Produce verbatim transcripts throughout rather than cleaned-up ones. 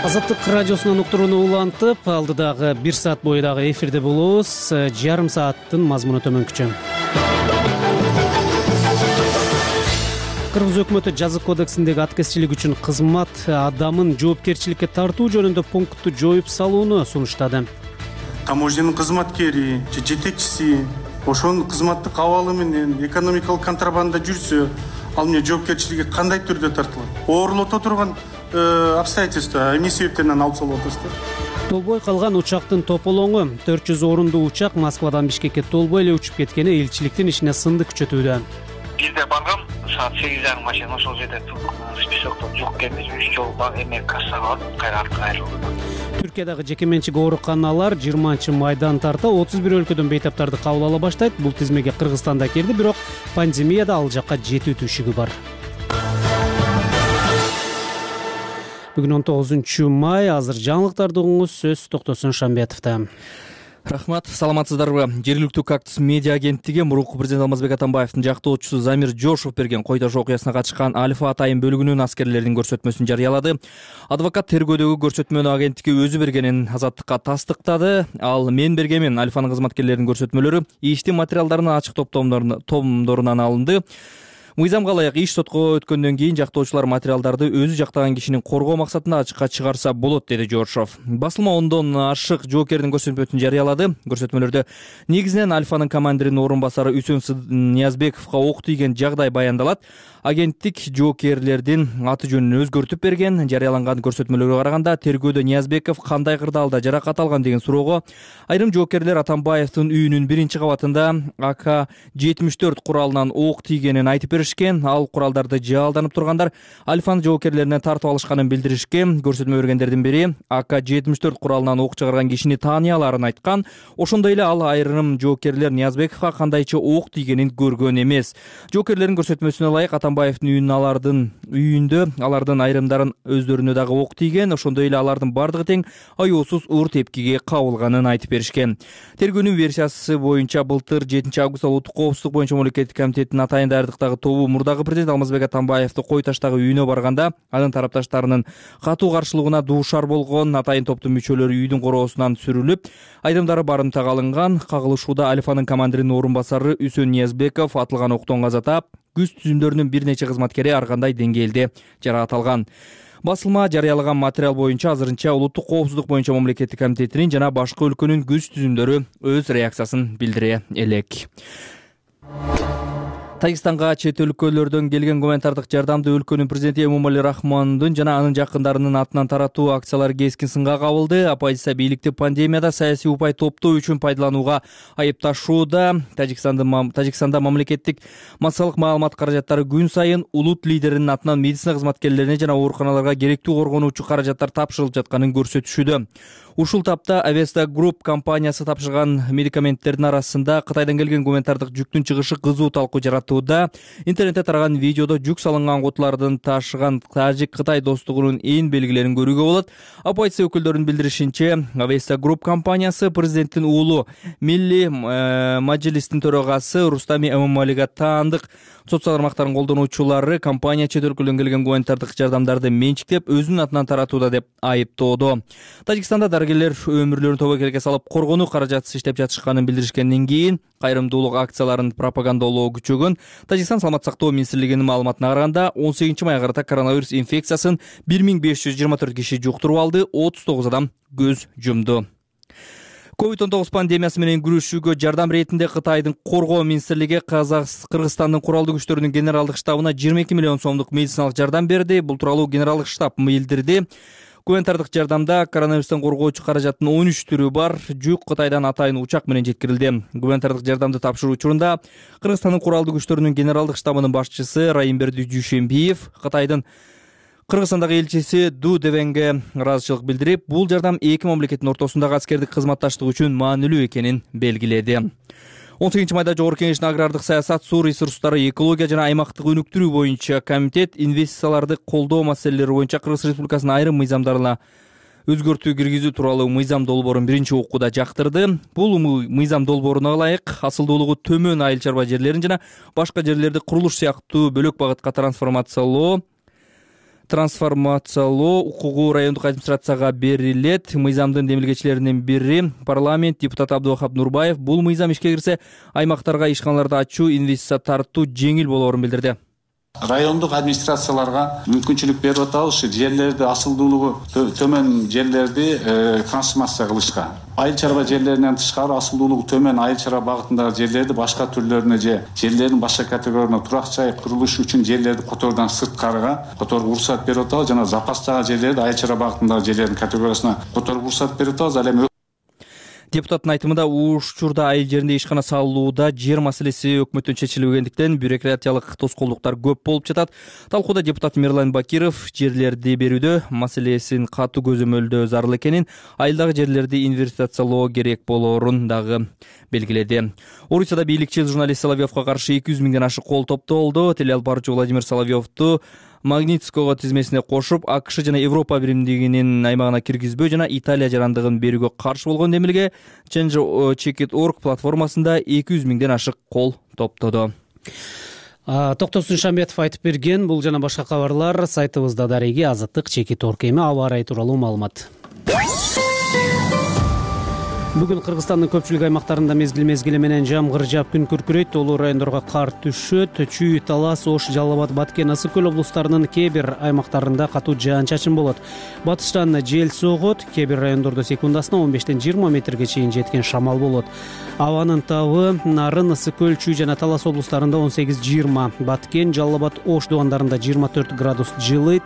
Азаттык радиосунан уктурууну улантып, алдыдагы бир саат бою дагы эфирде болобуз. Жарым сааттын мазмуну төмөнкүчө. Кыргыз өкмөтү жазык кодексиндеги аткезчилик үчүн кызмат адамын жоопкерчиликке тартуу жөнүндө пунктту жоюп салууну сунуштады. Таможнянын кызматкери же жетекчиси ошонун кызматтык абалы менен экономикалык контрабанда жүрсө, ал эмне жоопкерчиликке кандай түрдө тартылат? Оорлото турган обстоятельства эмне себептен алып салып атасыздар? Толбой калган учактын тополоңу төрт жүз орундуу учак Москвадан Бишкекке толбой эле учуп кеткени элчиликтин ишине сынды күчөтүүдө. Бизде баргам саат сегиз жарым машина ошол жерде списокто жок экенбиз. Үч жолу эме кассага барып, кайра артка кайрылды. Түркиядагы жекеменчик ооруканалар жыйырманчы майдан тарта отуз бир өлкөдөн бейтаптарды кабыл ала баштайт. Бул тизмеге Кыргызстан да кирди, бирок пандемияда ал жакка жетүү түшүгү бар. Бүгүн он тогузунчу май, азыр жаңылыктарды угуңуз, сөз Токтосун Шамбетовдо. Рахмат, саламатсыздарбы? Жергиликтүү Кактус медиа агенттиги мурунку президент Алмазбек Атамбаевдин жактоочусу Замир Жошов берген кой таш окуясына катышкан Альфа атайын бөлүгүнүн аскерлердин көрсөтмөсүн жарыялады. Адвокат тергөөдөгү көрсөтмөнү агенттиги өзү бергенин Азаттыкка тастыктады. Ал мен бергенмин Альфанын кызматкерлеринин көрсөтмөлөрү иштин материалдарынын ачык томдорунан алынды. Мыйзамга ылайык иш сотко өткөндөн кийин жактоочулар материалдарды өзү жактаган кишини коргоо максатында ачыкка чыгарса болот, деди Жошов. Басылма ондон ашык жоокердин көрсөтмөсүн жарыялады. Көрсөтмөлөрдө негизинен Альфанын командиринин орун басары Үсөн Ниязбековго ок тийген жагдай баяндалат. Агенттик жоокерлердин аты жөнүн өзгөртүп берген. Жарыяланган көрсөтмөлөргө караганда тергөөдө Ниязбеков кандай кырдаалда жаракат алган деген суроого айрым жоокерлер Атамбаевдин үйүнүн биринчи кабатында А К жетимиш төрт куралынан ок тийгенин айтып беришкен. Ал куралдарды жаалданып тургандар Альфанын жоокерлеринен тартып алышканын билдиришкен. Көрсөтмө бергендердин бири А К жетимиш төрт куралынан ок чыгарган кишини тааный аларын айткан. Ошондой эле ал айрым жоокерлер Ниязбековго кандайча ок тийгенин көргөн эмес. Жоокерлердин көрсөтмөсүнө ылайык Атамбаевдин үйүнүн алардын үйүндө алардын айрымдарын өздөрүнө дагы ок тийген. Ошондой эле алардын бардыгы тең аюусуз уур тепкиге кабылганын айтып беришкен. Тергөөнүн версиясы боюнча былтыр жетинчи августта улуттук коопсуздук боюнча мамлекеттик комитеттин атайын даярдыктагы тобу мурдагы президент Алмазбек Атамбаевди кой таштагы үйүнө барганда анын тарапташтарынын катуу каршылыгына дуушар болгон. Атайын топтун мүчөлөрү үйдүн короосунан сүрүлүп, айрымдары барымтага алынган. Кагылышууда Альфанын командиринин орун басары Үсөн Ниязбеков атылган октон каза таап, күз түзүмдөрүнүн бир нече кызматкери ар кандай деңгээлде жаракат алган. Басылма жарыялаган материал боюнча азырынча улуттук коопсуздук боюнча мамлекеттик комитетинин жана башка өлкөнүн күз түзүмдөрү өз реакциясын билдире элек. Тажикстанга чет өлкөлөрдөн келген гуманитардык жардамды өлкөнүн президенти Эмомали Рахмондун жана анын жакындарынын атынан таратуу акциялары кескин сынга кабылды. Оппозиция бийликти пандемияда саясий упай топтоо үчүн пайдаланууга айыпташууда. Тажикстанда Тажикстанда мамлекеттик массалык маалымат каражаттары күн сайын улут лидеринин атынан медицина кызматкерлерине жана ооруканаларга керектүү коргонуучу каражаттар тапшырылып жатканын көрсөтүшүүдө. Ушул тапта Avesta Group компаниясы тапшырган медикаменттердин арасында Кытайдан келген гуманитардык жүктүн чыгышы кызуу талкуу жаратууда. Интернетте тараган видеодо жүк салынган кутулардын ташыган Тажик-Кытай достугунун эң белгилерин көрүүгө болот. Оппозиция өкүлдөрүнүн билдиришинче, Avesta Group компаниясы президенттин уулу Милли Мажилистин төрагасы Рустами Эмомалига таандык соц тармактарын колдонуучулары компания чет өлкөдөн келген гуманитардык жардамдарды менчиктеп өзүнүн атынан таратууда деп айыптоодо. Тажикстанда дарыгерлер өмүрлөрүн тобокелге салып коргонуу каражатсыз иштеп жатышканын билдиришкенден кийин кайрымдуулук акцияларын пропагандалоо күчөгөн. Тажикстан саламат сактоо министрлигинин маалыматына караганда он сегизинчи майга карата коронавирус инфекциясын бир миң беш жүз жыйырма төрт киши жуктуруп алды, отуз тогуз адам көз жумду. ковид он тогуз пандемиясы менен күрөшүүгө жардам иретинде Кытайдын коргоо министрлиги Кыргызстандын куралдуу күчтөрүнүн генералдык штабына жыйырма эки миллион сомдук медициналык жардам берди. Бул тууралуу генералдык штаб билдирди. Гуманитардык жардамда коронавирустан коргоочу каражаттын он үч түрү бар. Жүк Кытайдан атайын учак менен жеткирилди. Гуманитардык жардамды тапшыруу учурунда Кыргызстандын куралдуу күчтөрүнүн генералдык штабынын башчысы Райымберди Дүйшембиев Кытайдын Кыргызстандагы элчиси Ду Девенге ыраазычылык билдирип, бул жардам эки мамлекеттин ортосундагы аскердик кызматташтык үчүн маанилүү экенин белгиледи. он сегизинчи майда Жогорку Кеңештин агрардык саясат, суу ресурстары, экология жана аймактык өнүктүрүү боюнча комитет инвестицияларды колдоо маселелери боюнча Кыргыз Республикасынын айрым мыйзамдарына өзгөртүү киргизүү тууралуу мыйзам долбоорун биринчи окууда жактырды. Бул мыйзам долбооруна ылайык асылдуулугу төмөн айыл чарба жерлерин жана башка жерлерди курулуш сыяктуу бөлөк багытка трансформациялоо трансформациялоо укугу райондук администрацияга берилет. Мыйзамдын демилгечилеринин бири парламент депутаты Абдувахап Нурбаев бул мыйзам ишке кирсе аймактарга ишканаларды ачуу, инвестиция тартуу жеңил болоорун билдирди. Райондук администрацияларга мүмкүнчүлүк берип атабыз ушу жерлерди, асылдуулугу төмөн жерлерди трансформация кылышка. Айыл чарба жерлеринен тышкары асылдуулугу төмөн айыл чарба багытындагы жерлерди башка түрлөрүнө же жерлердин башка категорияларына турак жай курулуш үчүн жерлерди которуудан сырткарыга которууга уруксат берип атабыз. Жана запастагы жерлерди айыл чарба багытындагы жерлердин категориясына которууга уруксат берип атабыз. Ал эми депутаттын айтымында учурда айыл жеринде ишкана салууда жер маселеси өкмөттөн чечилбегендиктен бюрократиялык тоскоолдуктар көп болуп жатат. Талкууда депутат Мирлан Бакиров жерлерди берүүдө маселесин катуу көзөмөлдөө зарыл экенин, айылдагы жерлерди инвестициялоо керек болоорун дагы белгиледи. Орусияда бийликчил журналист Соловьевго каршы эки жүз миңден ашык кол топтолду. Телеалбаруучу Владимир Соловьевду Магнитского тизмесине кошуп, АКШ жана Европа биримдигинин аймагына киргизбөө жана Италия жарандыгын берүүгө каршы болгон демилге Change Check It Org платформасында эки жүз миңден ашык кол топтоду. Токтосун Шамбетов айтып берген. Бул жана башка кабарлар сайтыбызда дареги Азаттык Check It Org эми аба ырайы тууралуу маалымат. Бүгүн Кыргызстандын көпчүлүк аймактарында мезгил-мезгили менен жамгыр жаап күн күркүрөйт, тоолуу райондорго кар түшөт. Чүй, Талас, Ош, Жалал Абад, Баткен, Ысык көл облустарынын кээ бир аймактарында катуу жаан-чачын болот. Батыштан жел согот, кээ бир райондордо секундасына он бештен жыйырма метрге чейин жеткен шамал болот. Абанын табы Нарын, Ысык көл, Чүй жана Талас облустарында он сегиз жыйырма, Баткен, Жалал Абад, Ош дубандарында жыйырма төрт градус жылыйт.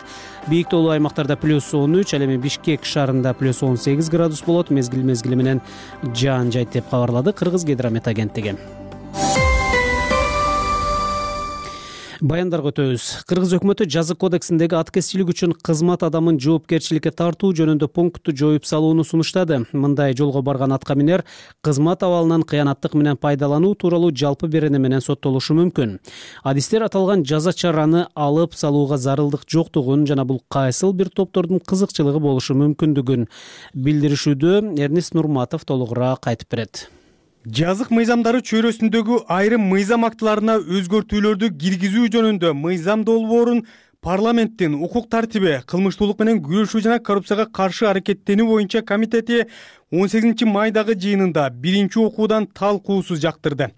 Бийик тоолуу аймактарда плюс он үч, ал эми Бишкек шаарында плюс он сегиз градус болот. Мезгил-мезгили менен жаан жайт деп кабарлады Кыргыз гидромет агенттиги. Баяндарга өтөбүз. Кыргыз өкмөтү жазык кодексиндеги аткезчилик үчүн кызмат адамын жоопкерчиликке тартуу жөнүндө пунктту жоюп салууну сунуштады. Мындай жолго барган атка минер кызмат абалынан кыянаттык менен пайдалануу тууралуу жалпы берене менен соттолушу мүмкүн. Адистер аталган жаза чараны алып салууга зарылдык жоктугун жана бул кайсыл бир топтордун кызыкчылыгы болушу мүмкүндүгүн билдиришүүдө. Эрнест Нурматов толугураак айтып берет. Жазык мыйзамдары чөйрөсүндөгү айрым мыйзам актыларына өзгөртүүлөрдү киргизүү жөнүндө мыйзам долбоорун парламенттин укук тартиби, кылмыштуулук менен күрөшүү жана коррупцияга каршы аракеттенүү боюнча комитети он сегизинчи майдагы жыйынында биринчи окуудан талкуусуз жактырды.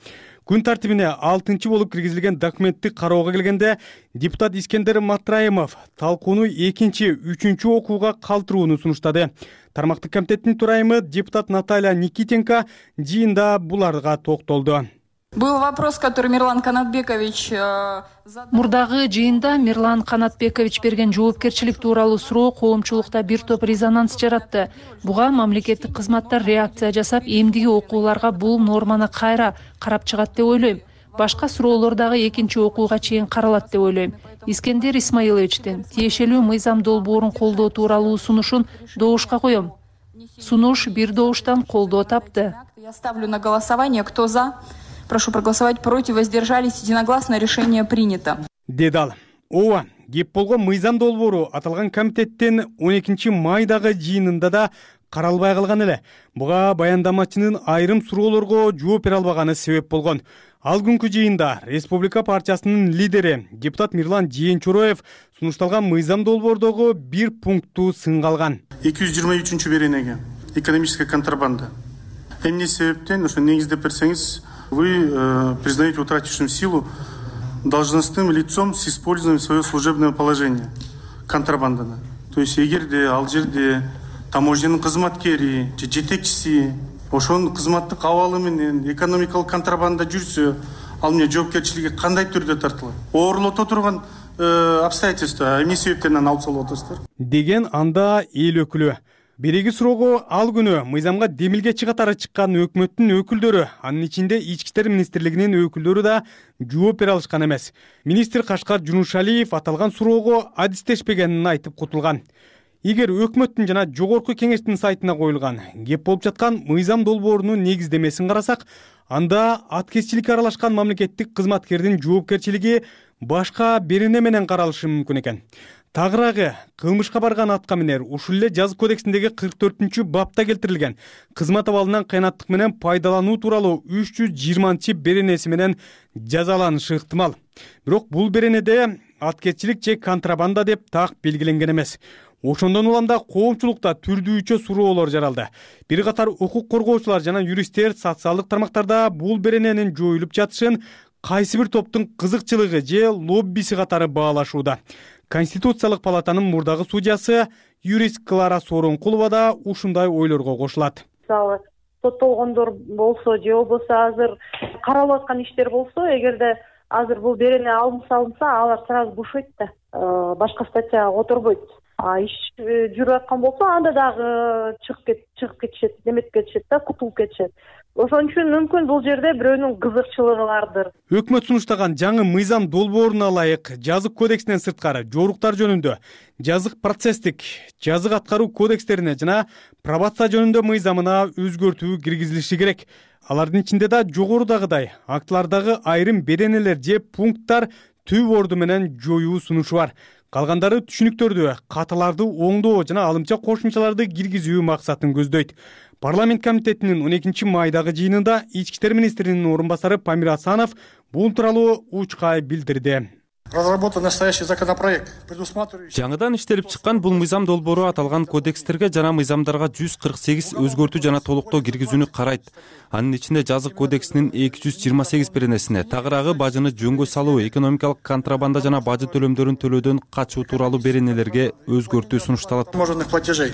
Күн тартибине алтынчы болуп киргизилген документти кароого келгенде депутат Искендер Матраимов талкууну экинчи, үчүнчү окууга калтырууну сунуштады. Тармактык комитеттин төрайымы депутат Наталья Никитенко жыйында буларга токтолду. Был вопрос, который Мирлан Канатбекович... Мурдагы жыйында Мирлан Канатбекович берген жоопкерчилик тууралуу суроо коомчулукта бир топ резонанс жаратты. Буга мамлекеттик кызматтар реакция жасап, эмдиги окууларга бул норманы кайра карап чыгат деп ойлойм. Башка суроолор дагы экинчи окууга чейин каралат деп ойлойм. Искендер Исмаиловичтин тиешелүү мыйзам долбоорун колдоо тууралуу сунушун добушка коем. Сунуш бир добуштан колдоо тапты. Я ставлю на голосование, кто за. Прошу проголосовать против, воздержались, единогласно решение принято. Дедал. Ооба, кеп болгон мыйзам долбоору аталган комитеттин он экинчи майдагы жыйынында да каралбай калган эле. Буга баяндамачынын айрым суроолорго жооп бере албаганы себеп болгон. Ал күнкү жыйында Республика партиясынын лидери депутат Мирлан Жээнчороев сунушталган мыйзам долбоордогу бир пунктту сынга алган. эки жүз жыйырма үчүнчү беренеге экономическая контрабанда. Эмне себептен ошо негиздеп берсеңиз, вы э, признаете утратившим силу должностным лицом с использованием своего служебного положения контрабанданы. То есть эгерде ал жерде таможнянын кызматкери же жетекчиси ошонун кызматтык абалы менен экономикалык контрабанда жүрсө, ал эмне жоопкерчиликке кандай түрдө тартылат? Оорлото турган э, обстоятельства эмне себептен алып салып атасыздар? Деген анда эл өкүлү. Береги суроого ал күнү мыйзамга демилгечи катары чыккан өкмөттүн өкүлдөрү, анын ичинде Ички иштер министрлигинин өкүлдөрү да жооп бере алышкан эмес. Министр Кашкар Жунушалиев аталган суроого адистешпегенин айтып кутулган. Эгер өкмөттүн жана жогорку кеңештин сайтына коюлган кеп болуп жаткан мыйзам долбоорунун негиздемесин карасак, анда аткезчиликке аралашкан мамлекеттик кызматкердин жоопкерчилиги башка берене менен каралышы мүмкүн экен. Тагыраагы кылмышка барган атка минер ушул эле жазык кодексиндеги кырк төртүнчү бапта келтирилген кызмат абалынан кыянаттык менен пайдалануу тууралуу үч жүз жыйырманчы беренеси менен жазаланышы ыктымал. Бирок бул беренеде аткезчилик же контрабанда деп так белгиленген эмес. Ошондон улам да коомчулукта түрдүүчө суроолор жаралды. Бир катар укук коргоочулар жана юристтер социалдык тармактарда бул берененин жоюлуп жатышын кайсы бир топтун кызыкчылыгы же лоббиси катары баалашууда. Конституциялык палатанын мурдагы судьясы юрист Клара Сооронкулова да ушундай ойлорго кошулат. Мисалы, соттолгондор болсо же болбосо азыр каралып аткан иштер болсо, эгерде азыр бул берене алынса алынса, алар сразу бошойт да, башка статьяга которбойт. А иш жүрүп аткан болсо, анда дагы чыгып кет, чыгып кетишет, неметип кетишет да, кутулуп кетишет. Ошон үчүн мүмкүн бул жерде бирөөнүн кызыкчылыгы бардыр. Өкмөт сунуштаган жаңы мыйзам долбооруна ылайык жазык кодексинен сырткары жоруктар жөнүндө, жазык процесстик, жазык аткаруу кодекстерине жана пробация жөнүндө мыйзамына өзгөртүү киргизилиши керек. Алардын ичинде да жогорудагыдай актылардагы айрым беренелер же пункттар түп орду менен жоюу сунушу бар. Калгандары түшүнүктөрдү, каталарды оңдоо жана алымча кошумчаларды киргизүү максатын көздөйт. Парламент комитетинин он экинчи майдагы жыйынында ички иштер министринин орун басары Памир Асанов бул тууралуу учкай билдирди. Разработан настоящий законопроект, предусматривающий... Жаңыдан иштелип чыккан бул мыйзам долбоору аталган кодекстерге жана мыйзамдарга жүз кырк сегиз өзгөртүү жана толуктоо киргизүүнү карайт. Анын ичинде жазык кодексинин эки жүз жыйырма сегиз беренесине тагыраагы бажыны жөнгө салуу, экономикалык контрабанда жана бажы төлөмдөрүн төлөөдөн качуу тууралуу беренелерге өзгөртүү сунушталат. Таможенных платежей.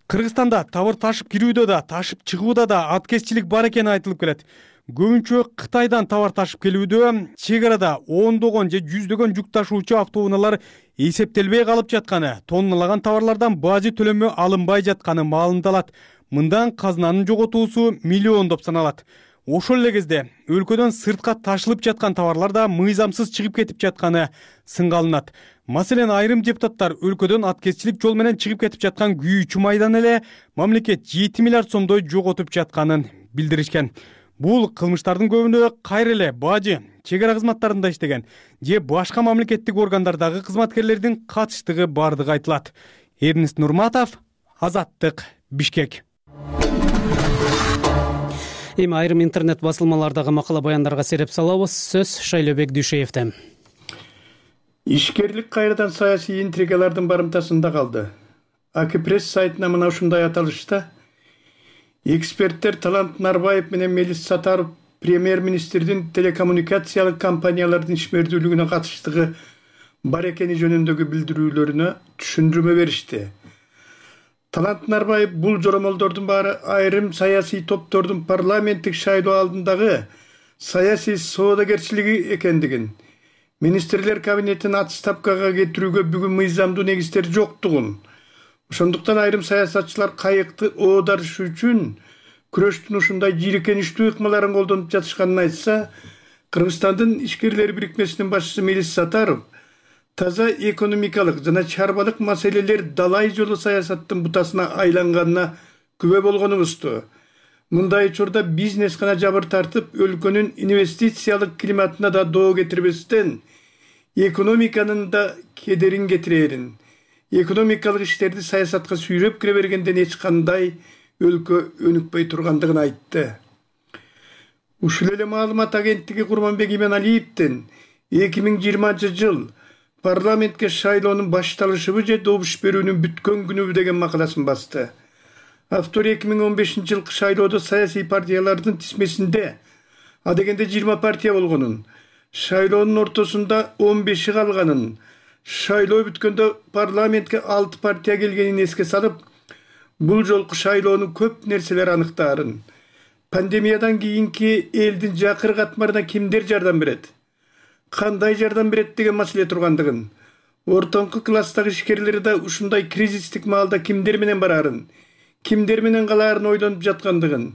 Кыргызстанда товар ташып кирүүдө да, ташып чыгууда да аткезчилик бар экени айтылып келет. Көбүнчө Кытайдан товар ташып келүүдө чек арада ондогон же жүздөгөн жүк ташуучу автоунаалар эсептелбей калып жатканы, тонналаган товарлардан бажы төлөмү алынбай жатканы маалымдалат. Мындан казынанын жоготуусу миллиондоп саналат. Ошол эле кезде өлкөдөн сыртка ташылып жаткан товарлар да мыйзамсыз чыгып кетип жатканы сынга алынат. Маселен, айрым депутаттар өлкөдөн аткезчилик жол менен чыгып кетип жаткан күйүүчү майдан эле мамлекет жети миллиард сомдой жоготуп жатканын билдиришкен. Бул кылмыштардын көбүнө кайра эле бажы, чек ара кызматтарында иштеген же башка мамлекеттик органдардагы кызматкерлердин катыштыгы бардыгы айтылат. Эрнест Нурматов, Азаттык, Бишкек. Эми айрым интернет басылмалардагы макала баяндарга сереп салабыз. Сөз Шайлообек Дүйшеевден. Ишкерлик кайрадан саясий интригалардын барымтасында калды. Акипресс сайтына мына ушундай аталышта: эксперттер Талант Нарбаев менен Мелис Сатаров премьер-министрдин телекоммуникациялык компаниялардын ишмердүүлүгүнө катыштыгы бар экени жөнүндөгү билдирүүлөрүнө түшүндүрмө беришти. Талант Нарбаев бул жоромолдордун баары айрым саясий топтордун парламенттик шайлоо алдындагы саясий соодагерчилиги экендигин, министрлер кабинетин отставкага кетирүүгө бүгүн мыйзамдуу негиздер жоктугун, ошондуктан айрым саясатчылар кайыкты оодарыш үчүн күрөштүн ушундай жийиркеничтүү ыкмаларын колдонуп жатышканын айтса, Кыргызстандын ишкерлер бирикмесинин башчысы Мелис Сатаров таза экономикалык жана чарбалык маселелер далай жолу саясаттын бутасына айланганына күбө болгонубузду. Мындай учурда бизнес гана жабыр тартып, өлкөнүн инвестициялык климатына да доо кетирбестен, экономиканын да кедерин кетирерин, экономикалык иштерди саясатка сүйрөп кире бергенден эч кандай өлкө өнүкпөй тургандыгын айтты. Ушул эле маалымат агенттиги Курманбек Иманалиевдин эки миң жыйырманчы жыл парламентке шайлоонун башталышыбы же добуш берүүнүн бүткөн күнүбү деген макаласын басты. Автор эки миң он бешинчи жылкы шайлоодо саясий партиялардын тизмесинде адегенде жыйырма партия болгонун, шайлоонун ортосунда он беши калганын, шайлоо бүткөндө парламентке алты партия келгенин эске салып, бул жолку шайлоонун көп нерселер аныктаарын, пандемиядан кийинки элдин жакыр катмарына кимдер жардам берет, кандай жардам берет деген маселе тургандыгын, ортоңку класстагы ишкерлер да ушундай кризистик маалда кимдер менен барарын, кимдер менен калаарын ойлонуп жаткандыгын,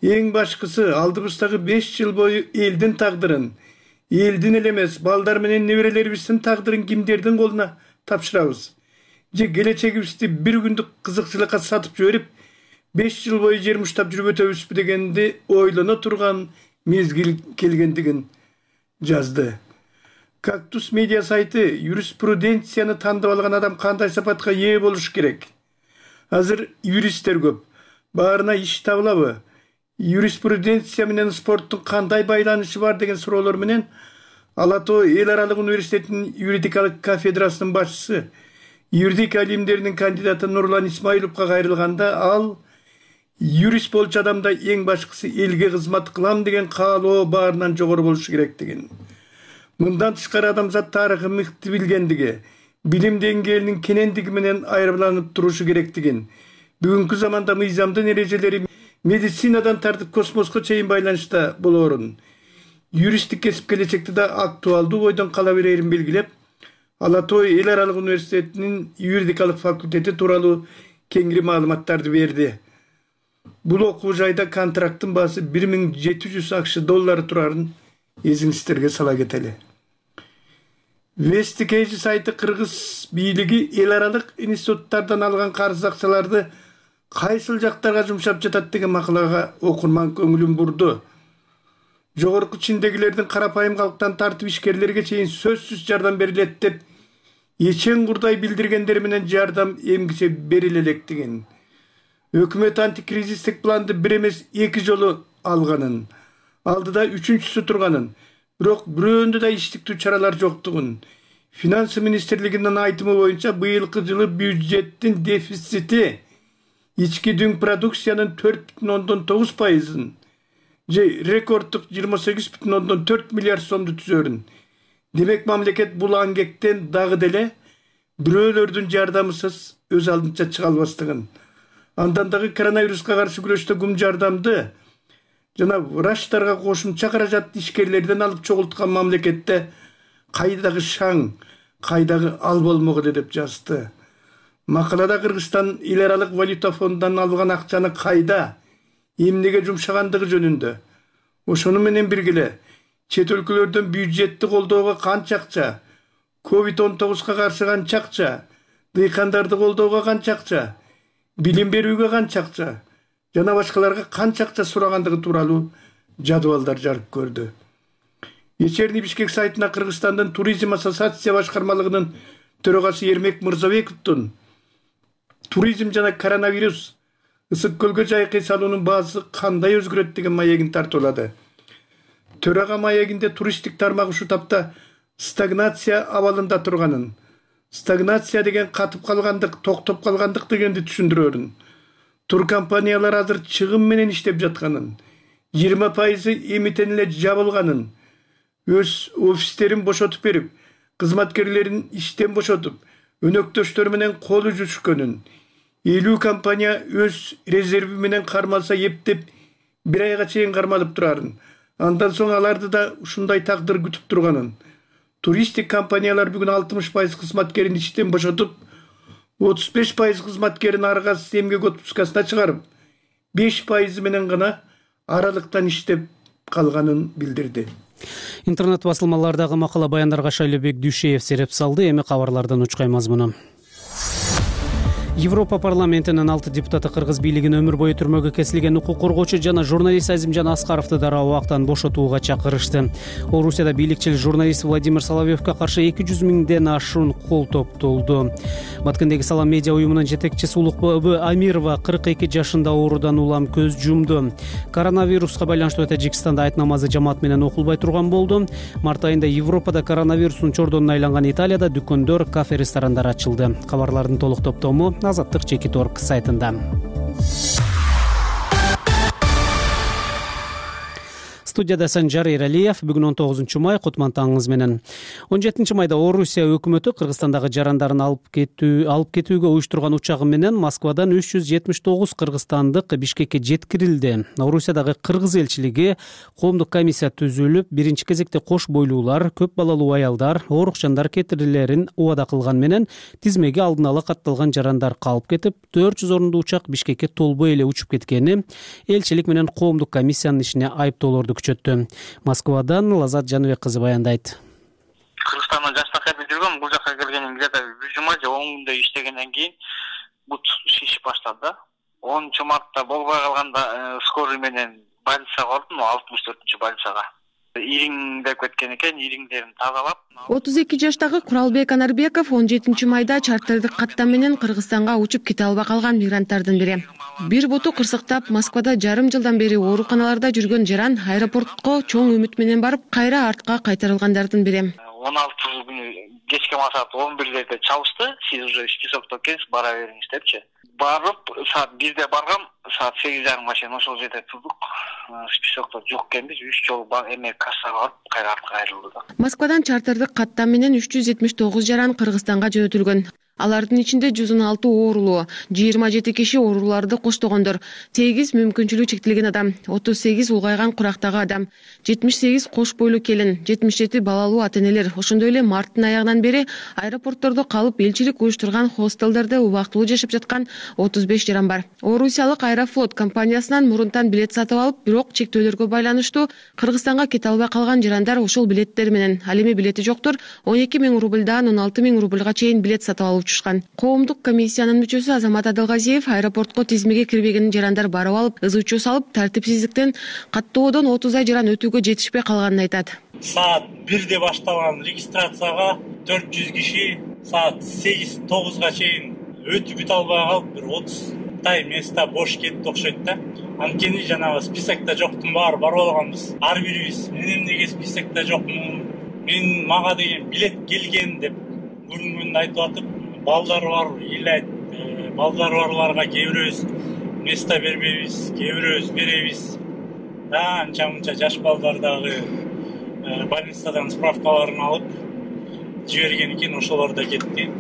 эң башкысы алдыбыздагы беш жыл бою элдин тагдырын, элдин эле эмес, балдар менен неберелерибиздин тагдырын кимдердин колуна тапшырабыз, же келечегибизди бир күндүк кызыкчылыкка сатып жиберип, беш жыл бою жер муштап жүрүп өтөбүзбү дегенди ойлоно турган мезгил келгендигин жазды. Кактус медиа сайты юриспруденцияны тандап алган адам кандай сапатка ээ болуш керек? Азыр юристтер көп. Баарына иш табылабы? Юриспруденция менен спорттун кандай байланышы бар деген суроолор менен Ала Тоо эл аралык университетинин юридикалык кафедрасынын башчысы, юридика илимдеринин кандидаты Нурлан Исмаиловго кайрылганда, ал юрист болчу адамда эң башкысы элге кызмат кылам деген каалоо баарынан жогору болушу керектигин, мындан тышкары адамзат тарыхы мыкты билгендиги, билим деңгээлинин кенендиги менен айырмаланып турушу керектигин, бүгүнкү заманда мыйзамдын эрежелери медицинадан тартып космоско чейин байланышта болоорун, юристтик кесип келечекте да актуалдуу бойдон кала берерин белгилеп, Ала Тоо эл аралык университетинин юридикалык факультети тууралуу кеңири маалыматтарды берди. Бул окуу жайда контракттын баасы бир миң жети жүз акш доллары турарын эсиңиздерге сала кетели. Вестикейжи сайты кыргыз бийлиги эл аралык институттардан алган карыз акчаларды кайсыл жактарга жумшап жатат деген макалага окурман көңүлүн бурду. Жогорку чиндегилердин карапайым калктан тартып ишкерлерге чейин сөзсүз жардам берилет деп эчең курдай билдиргендер менен жардам эмгиче бериле электигин, өкмөт антикризистик планды бир эмес эки жолу алганын, алдыда үчүнчүсү турганын, бирок бирөөндө да иштиктүү чаралар жоктугун, финансы министрлигинин айтымы боюнча быйылкы жылы бюджеттин дефицити ички дүң продукциянын төрт бүтүн ондон тогуз пайызын же рекорддук жыйырма сегиз бүтүн ондон төрт миллиард сомду түзөрүн. Демек мамлекет бул аңгектен дагы деле бирөөлөрдүн жардамысыз өз алдынча чыга албастыгын, андан дагы коронавируска каршы күрөштө гум жардамды жана врачтарга кошумча каражат ишкерлерден алып чогулткан мамлекетте кайдагы шаң, кайдагы ал болмогу деп жазды. Макалада Кыргызстан эл аралык валюта фондунан алган акчаны кайда, эмнеге жумшагандыгы жөнүндө, ошону менен биргеле чет өлкөлөрдөн бюджетти колдоого канча акча, ковид он тогузга каршы канча акча, дыйкандарды колдоого канча акча, билим берүүгө канча акча жана башкаларга канча акча сурагандыгы тууралуу жадыбалдар жарык көрдү. Вечерний Бишкек сайтына Кыргызстандын туризм ассоциация башкармалыгынын төрагасы Ермек Мырзабековдун туризм жана коронавирус ысык көлгө жайкы салуунун баасы кандай өзгөрөт деген маегин тартуулады. Төрага маегинде туристтик тармак ушул тапта стагнация абалында турганын, стагнация деген катып калгандык, токтоп калгандык дегенди түшүндүрөрүн, туркомпаниялар азыр чыгым менен иштеп жатканын, жыйырма пайызы эмитен эле жабылганын, өз офистерин бошотуп берип, кызматкерлерин иштен бошотуп, өнөктөштөр менен кол үзүшкөнүн, элүү компания өз резерви менен кармалса эптеп бир айга чейин кармалып турарын, андан соң аларды да ушундай тагдыр күтүп турганын, туристтик компаниялар бүгүн алтымыш пайыз кызматкерин иштен бошотуп, отуз беш пайыз кызматкерин ары каз эмгек отпускасына чыгарып, беш пайызы менен гана аралыктан иштеп калганын билдирди. Интернет басылмалардагы макала баяндарга Шайлебек Дүйшеев сереп салды. Эми кабарлардан учкай мазмуну. Европа парламентинин алты депутаты кыргыз бийлигин өмүр бою түрмөгө кесилген укук коргоочу жана журналист Азимжан Аскаровду дароо убактан бошотууга чакырышты. Орусияда бийликчил журналист Владимир Соловьевго каршы эки жүз миңден ашуун кол топтолду. Баткендеги Салам медиа уюмунун жетекчиси Улукбү Амирова кырк эки жашында оорудан улам көз жумду. Коронавируска байланыштуу Тажикстанда айт намазы жамаат менен окулбай турган болду. Март айында Европада коронавирустун чордонуна айланган Италияда дүкөндөр, кафе, ресторандар ачылды. Кабарлардын толук топтому Азаттык Чекит точка орг сайтында. Студияда Санжар Эралиев. Бүгүн он тогузунчу май, кутман таңыңыз менен. он жетинчи майда Орусия өкмөтү Кыргызстандагы жарандарын алып кетүү алып кетүүгө уюштурган учагы менен Москвадан үч жүз жетимиш тогуз кыргызстандык Бишкекке жеткирилди. Орусиядагы кыргыз элчилиги коомдук комиссия түзүлүп, биринчи кезекте кош бойлуулар, көп балалуу аялдар, оорук жандар кетирилерин убада кылган менен тизмеге алдын ала катталган жарандар калып кетип, төрт жүз орундуу учак Бишкекке толбой эле учуп кеткени элчилик менен коомдук комиссиянын ишине айыптоолорду күчөттү. Москвадан Лазат Жаныбек кызы баяндайт. Кыргызстандан жаштакта жүргөм, бул жака келгеним где-то бир жума же он күндөй иштегенден кийин бут шишип баштады. онунчу мартта болбой калганда скорый менен больницага бардым, алтымыш төртүнчү больницага. ириңдеп кеткен экен, ириңдерин тазалап. отуз эки жаштагы Куралбек Анарбеков он жетинчи майда чартердик каттам менен Кыргызстанга учуп кете албай калган мигранттардын бири. Бир буту кырсыктап Москвада жарым жылдан бери ооруканаларда жүргөн жаран аэропортко чоң үмүт менен барып, кайра артка кайтарылгандардын бири. он алты күнү кечки саат он бирдерде чалышты. Сиз уже списокто экенсиз, бара бериңиз депчи. Барып, саат бирде баргам, саат сегиз жарым машина ошол жерде турдук. Списокто жок экенбиз, үч жолу эме кассага барып, кайра артка кайрылдык. Москвадан чартердик каттам менен үч жүз жетимиш тогуз жаран Кыргызстанга жөнөтүлгөн. Алардын ичинде жүз он алты оорулуу, жыйырма жети киши ооруларды коштогондор, сегиз мүмкүнчүлүгү чектелген адам, отуз сегиз улгайган курактагы адам, жетимиш сегиз кош бойлуу келин, жетимиш жети балалуу ата-энелер, ошондой эле марттын аягынан бери аэропорттордо калып элчилик уюштурган хостелдерде убактылуу жашап жаткан отуз беш жаран бар. Орусиялык Аэрофлот компаниясынан мурунтан билет сатып алып, бирок чектөөлөргө байланыштуу Кыргызстанга кете албай калган жарандар ошол билеттер менен, ал эми билети жоктор он эки миң рубльдан он алты миң рубльга чейин билет сатып алып учушкан. Коомдук комиссиянын мүчөсү Азамат Адалгазиев аэропортко тизмеге кирбеген жарандар барып алып, ыз учуу салып, тартипсиздиктен каттоодон отуз ай жаран өтүүгө жетишпей калганын айтат. Саат бирде башталган регистрацияга төрт жүз киши саат сегиз тогузга чейин өтүп бүтө албай калып, бир отуздай места бош кетти окшойт да. Анткени жанагы списокто жоктун баары барып алганбыз. Ар бирибиз мен эмнеге списокто жокмун, мен мага деген билет келген деп бүгүнгүндө айтып атып, балдары бар, илет, балдары барларга кээ бирөөбүз места бербейбиз, кээ бирөөбүз беребиз. Да, анча-мынча жаш балдар дагы больницадан справкаларын алып жиберген экен, ошолор да кетти.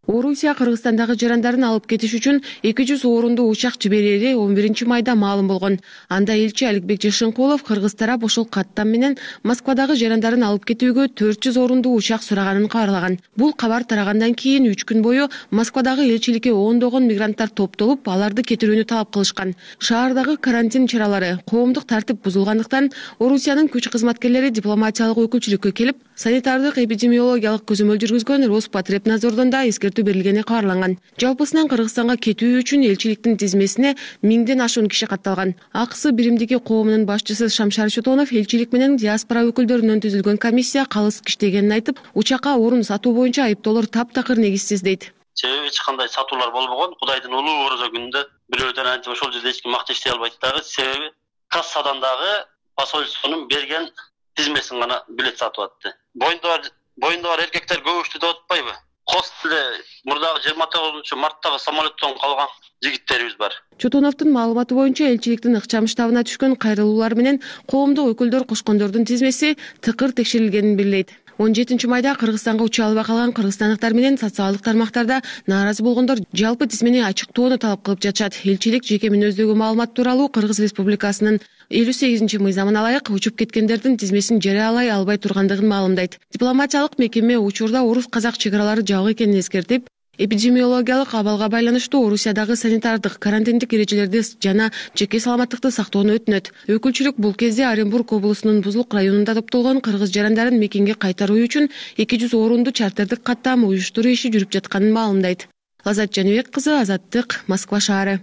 Орусия Кыргызстандагы жарандарын алып кетиш үчүн эки жүз орунду учак жиберери он биринчи майда маалым болгон. Анда элчи Аликбек Жашынкулов Кыргыз тарап ошол каттам менен Москвадагы жарандарын алып кетүүгө төрт жүз орунду учак сураганын кабарлаган. Бул кабар тарагандан кийин үч күн бою Москвадагы элчиликке ондогон мигранттар топтолуп, аларды кетирүүнү талап кылышкан. Шаардагы карантин чаралары, коомдук тартип бузулгандыктан Орусиянын күч кызматкерлери дипломатиялык өкүлчүлүккө келип, санитардык эпидемиологиялык көзөмөл жүргүзгөн Роспотребнадзордон да эскертүү берилгени кабарланган. Жалпысынан Кыргызстанга кетүү үчүн элчиликтин тизмесине миңден ашуун киши катталган. Аксы биримдиги коомунун башчысы Шамшар Чотонов элчилик менен диаспора өкүлдөрүнөн түзүлгөн комиссия калыс иштегенин айтып, учакка орун сатуу боюнча айыптоолор таптакыр негизсиз дейт. Себеби эч кандай сатуулар болбогон. Кудайдын улуу орозо күнүндө бирөөдөн антип ошол жерде эч ким макта иштей албайт дагы. Себеби кассадан дагы посольствонун берген тизмесин гана билет сатып атты. Боюнда бар, боюнда бар эркектер көбүштү деп атпайбы? Хостелде мурдагы жыйырма тогузунчу марттагы самолеттон калган жигиттерибиз бар. Чотоновдун маалыматы боюнча элчиликтин ыкчам штабына түшкөн кайрылуулар менен коомдук өкүлдөр кошкондордун тизмеси тыкыр текшерилгенин билдирет. он жетинчи майда Кыргызстанга уча албай калган кыргызстандыктар менен социалдык тармактарда нааразы болгондор жалпы тизмени ачыктоону талап кылып жатышат. Элчилик жеке мүнөздөгү маалымат тууралуу Кыргыз Республикасынын элүү сегизинчи мыйзамына ылайык учуп кеткендердин тизмесин жарыялай албай тургандыгын маалымдайт. Дипломатиялык мекеме учурда орус-казак чек аралары жабык экенин эскертип, эпидемиологиялык абалга байланыштуу Орусиядагы санитардык, карантиндик эрежелерди жана жеке саламаттыкты сактоону өтүнөт. Өкүлчүлүк бул кезде Оренбург облусунун Бузулук районунда топтолгон кыргыз жарандарын мекенге кайтаруу үчүн эки жүз орунду чартердик каттам уюштуруу иши жүрүп жатканын маалымдайт. Лазат Жаныбек кызы, Азаттык, Москва шаары.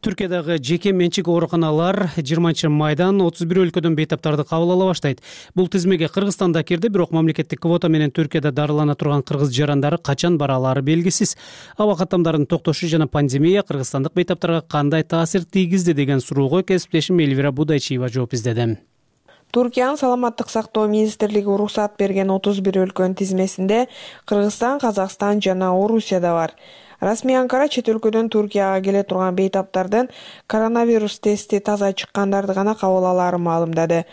Түркиядагы жеке менчик ооруканалар жыйырманчы майдан отуз бир өлкөдөн бейтаптарды кабыл ала баштайт. Бул тизмеге Кыргызстан да кирди, бирок мамлекеттик квота менен Түркияда дарылана турган кыргыз жарандары качан бара алары белгисиз. Аба каттамдарын токтошу жана пандемия кыргызстандык бейтаптарга кандай таасир тийгизди деген суроого кесиптешим Элвира Будайчиева жооп издеди. Туркиянын саламаттык сактоо министрлиги уруксат берген отуз бир өлкөнүн тизмесинде Кыргызстан, Казакстан жана Орусия да бар. Расмий Анкара чет өлкөдөн Туркияга келе турган бейтаптардын коронавирус тести таза чыккандарды гана кабыл алаарын маалымдады.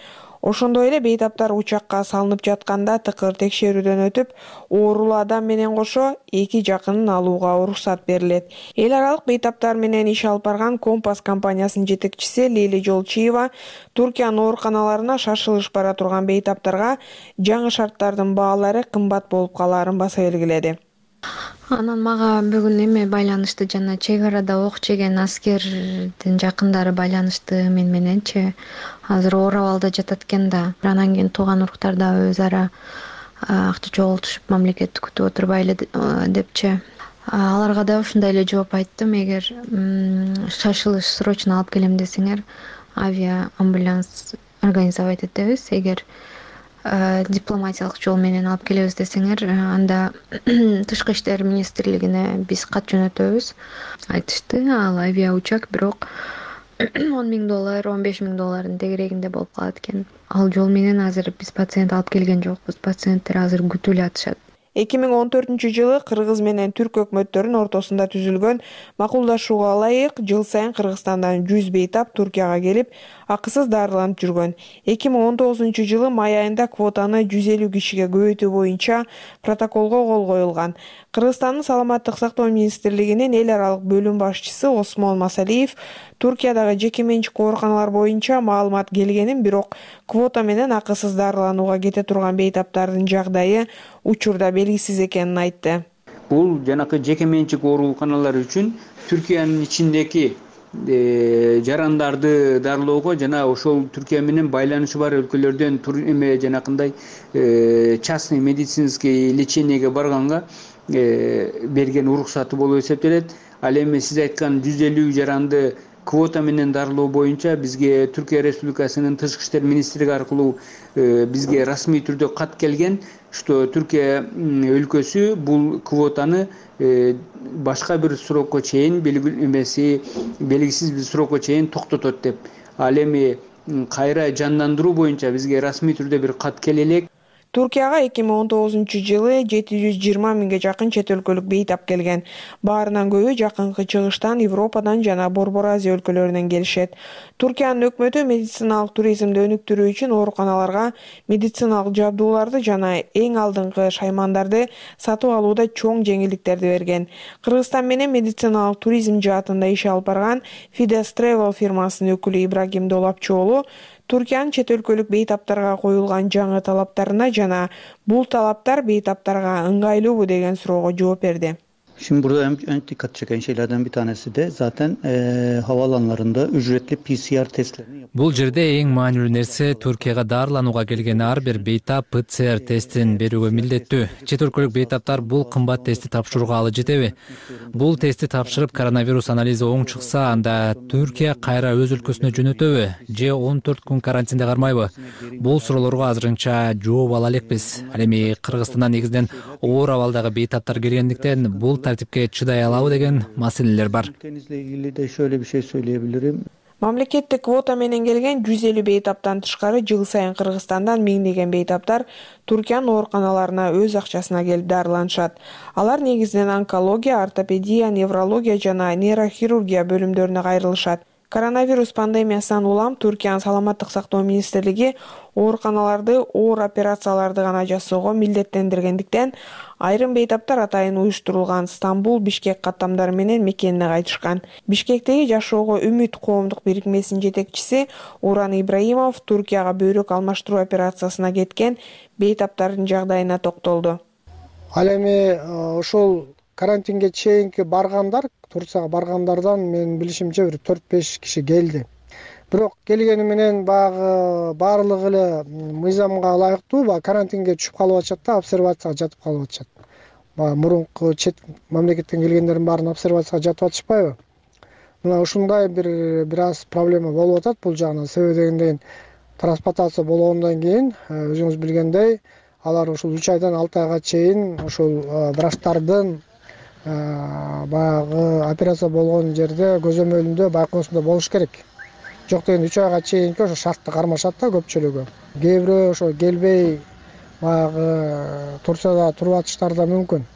Ошондой эле бейтаптар учакка салынып жатканда тыкыр текшерүүдөн өтүп, оорулуу адам менен кошо эки жакынын алууга уруксат берилет. Эл аралык бейтаптар менен иш алып барган Компас компаниясынын жетекчиси Лили Жолчиева Туркиянын ооруканаларына шашылыш бара турган бейтаптарга жаңы шарттардын баалары кымбат болуп калаарын баса белгиледи. Анан мага бүгүн эме байланышты, жана чек арада ок жеген аскердин жакындары байланышты мен мененчи. Азыр оор абалда жатат экен да. Анан кийин тууган уруктар да өз ара акча чогултушуп мамлекетти күтүп отурбайлы депчи. Аларга да ушундай эле жооп айттым. Эгер шашылыш срочно алып келем десеңер, авиа амбуланс организовать этебиз. Эгер дипломатиялык жол менен алып келебиз десеңер, анда тышкы иштер министрлигине биз кат жөнөтөбүз. Айтышты, ал авиаучак бирок он миң доллар, он беш миң доллардын тегерегинде болуп калат экен. Ал жол менен азыр биз пациент алып келген жокпуз. Пациенттер азыр күтүп эле атышат. эки миң он төртүнчү жылы Кыргыз менен Түрк өкмөттөрүнүн ортосунда түзүлгөн макулдашууга ылайык жыл сайын Кыргызстандан жүз бейтап Туркияга келип, акысыз дарыланып жүргөн. эки миң он тогузунчу жылы май айында квотаны жүз элүү кишиге көбөйтүү боюнча протоколго кол коюлган. Кыргызстандын саламаттык сактоо министрлигинин эл аралык бөлүм башчысы Осмон Масалиев Туркиядагы жеке менчик ооруканалар боюнча маалымат келгенин, бирок квота менен акысыз дарыланууга кете турган бейтаптардын жагдайы учурда белгисиз экенин айтты. Бул жанакы жеке менчик ооруканалар үчүн Түркиянын ичиндеги жарандарды дарылоого жана ошол Түркия менен байланышы бар өлкөлөрдөн эме жанакындай частный медицинский лечениеге барганга берген уруксаты болуп эсептелет. Ал эми сиз айткан жүз элүү жаранды квота менен дарылоо боюнча бизге Түркия Республикасынын тышкы иштер министрлиги аркылуу бизге расмий түрдө кат келген, что Түркия өлкөсү бул квотаны башка бир срокко чейин эмеси белгисиз бир срокко чейин токтотот деп. Ал эми кайра жандандыруу боюнча бизге расмий түрдө бир кат келе элек. Туркияга эки миң он тогузунчу жылы жети жүз жыйырма миңге жакын чет өлкөлүк бейтап келген. Баарынан көбү жакынкы чыгыштан, Европадан жана Борбор Азия өлкөлөрүнөн келишет. Туркиянын өкмөтү медициналык туризмди өнүктүрүү үчүн ооруканаларга медициналык жабдууларды жана эң алдыңкы шаймандарды сатып алууда чоң жеңилдиктерди берген. Кыргызстан менен медициналык туризм жаатында иш алып барган Fides Travel фирмасынын өкүлү Ибрагим Долапчоолу Туркиянын чет өлкөлүк бейтаптарга коюлган жаңы талаптарына жана бул талаптар бейтаптарга ыңгайлуубу деген суроого жооп берди. Şimdi burada en, en dikkat çeken şeylerden bir tanesi de zaten e, havaalanlarında ücretli P C R testlerini yapıyor. Бул жерде эң маанилүү нерсе Түркияга дарыланууга келген ар бир бейтап П Ц Р тестин берүүгө милдеттүү. Чет өлкөлүк бейтаптар бул кымбат тестти тапшырууга алы жетеби? Бул тестти тапшырып коронавирус анализи оң чыкса, анда Түркия кайра өз өлкөсүнө жөнөтөбү же он төрт күн карантинде кармайбы? Бул суроолорго азырынча жооп ала элекпиз. Ал эми Кыргызстандан негизинен оор абалдагы бейтаптар келгендиктен бул тартипке чыдай алабы деген маселелер бар. Ülkenizle ilgili de şöyle bir şey söyleyebilirim. Мамлекеттик квота менен келген жүз элүү бейтаптан тышкары жыл сайын Кыргызстандан миңдеген бейтаптар Туркиянын ооруканаларына өз акчасына келип дарыланышат. Алар негизинен онкология, ортопедия, неврология жана нейрохирургия бөлүмдөрүнө кайрылышат. Коронавирус пандемиясынан улам Туркиянын саламаттык сактоо министрлиги ооруканаларды оор операцияларды гана жасоого милдеттендиргендиктен айрым бейтаптар атайын уюштурулган Стамбул, Бишкек каттамдары менен мекенине кайтышкан. Бишкектеги Жашоого үмүт коомдук бирикмесинин жетекчиси Уран Ибраимов Туркияга бөйрөк алмаштыруу операциясына кеткен бейтаптардын жагдайына токтолду. Ал эми ошол карантинге чейинки баргандар, Турцияга баргандардан менин билишимче бир төрт беш киши келди. Бирок келгени менен баягы баардыгы эле мыйзамга ылайыктуу, баягы карантинге түшүп калып атышат да, обсервацияга жатып калып атышат. Баягы мурунку чет мамлекеттен келгендердин баарын обсервацияга жатып атышпайбы? Мына ушундай бир бир аз проблема болуп атат бул жагынан. Себеби дегенден трансплантация болгондон кийин өзүңүз билгендей, алар ушул үч айдан алты айга чейин ошол врачтардын баягы операция болгон жерде көзөмөлүндө байкоосунда болуш керек. Жок дегенде үч айга чейинки ошо шартты кармашат да көпчүлүгү. Кээ бирөө ошо келбей баягы Турцияда туруп атыштары да мүмкүн.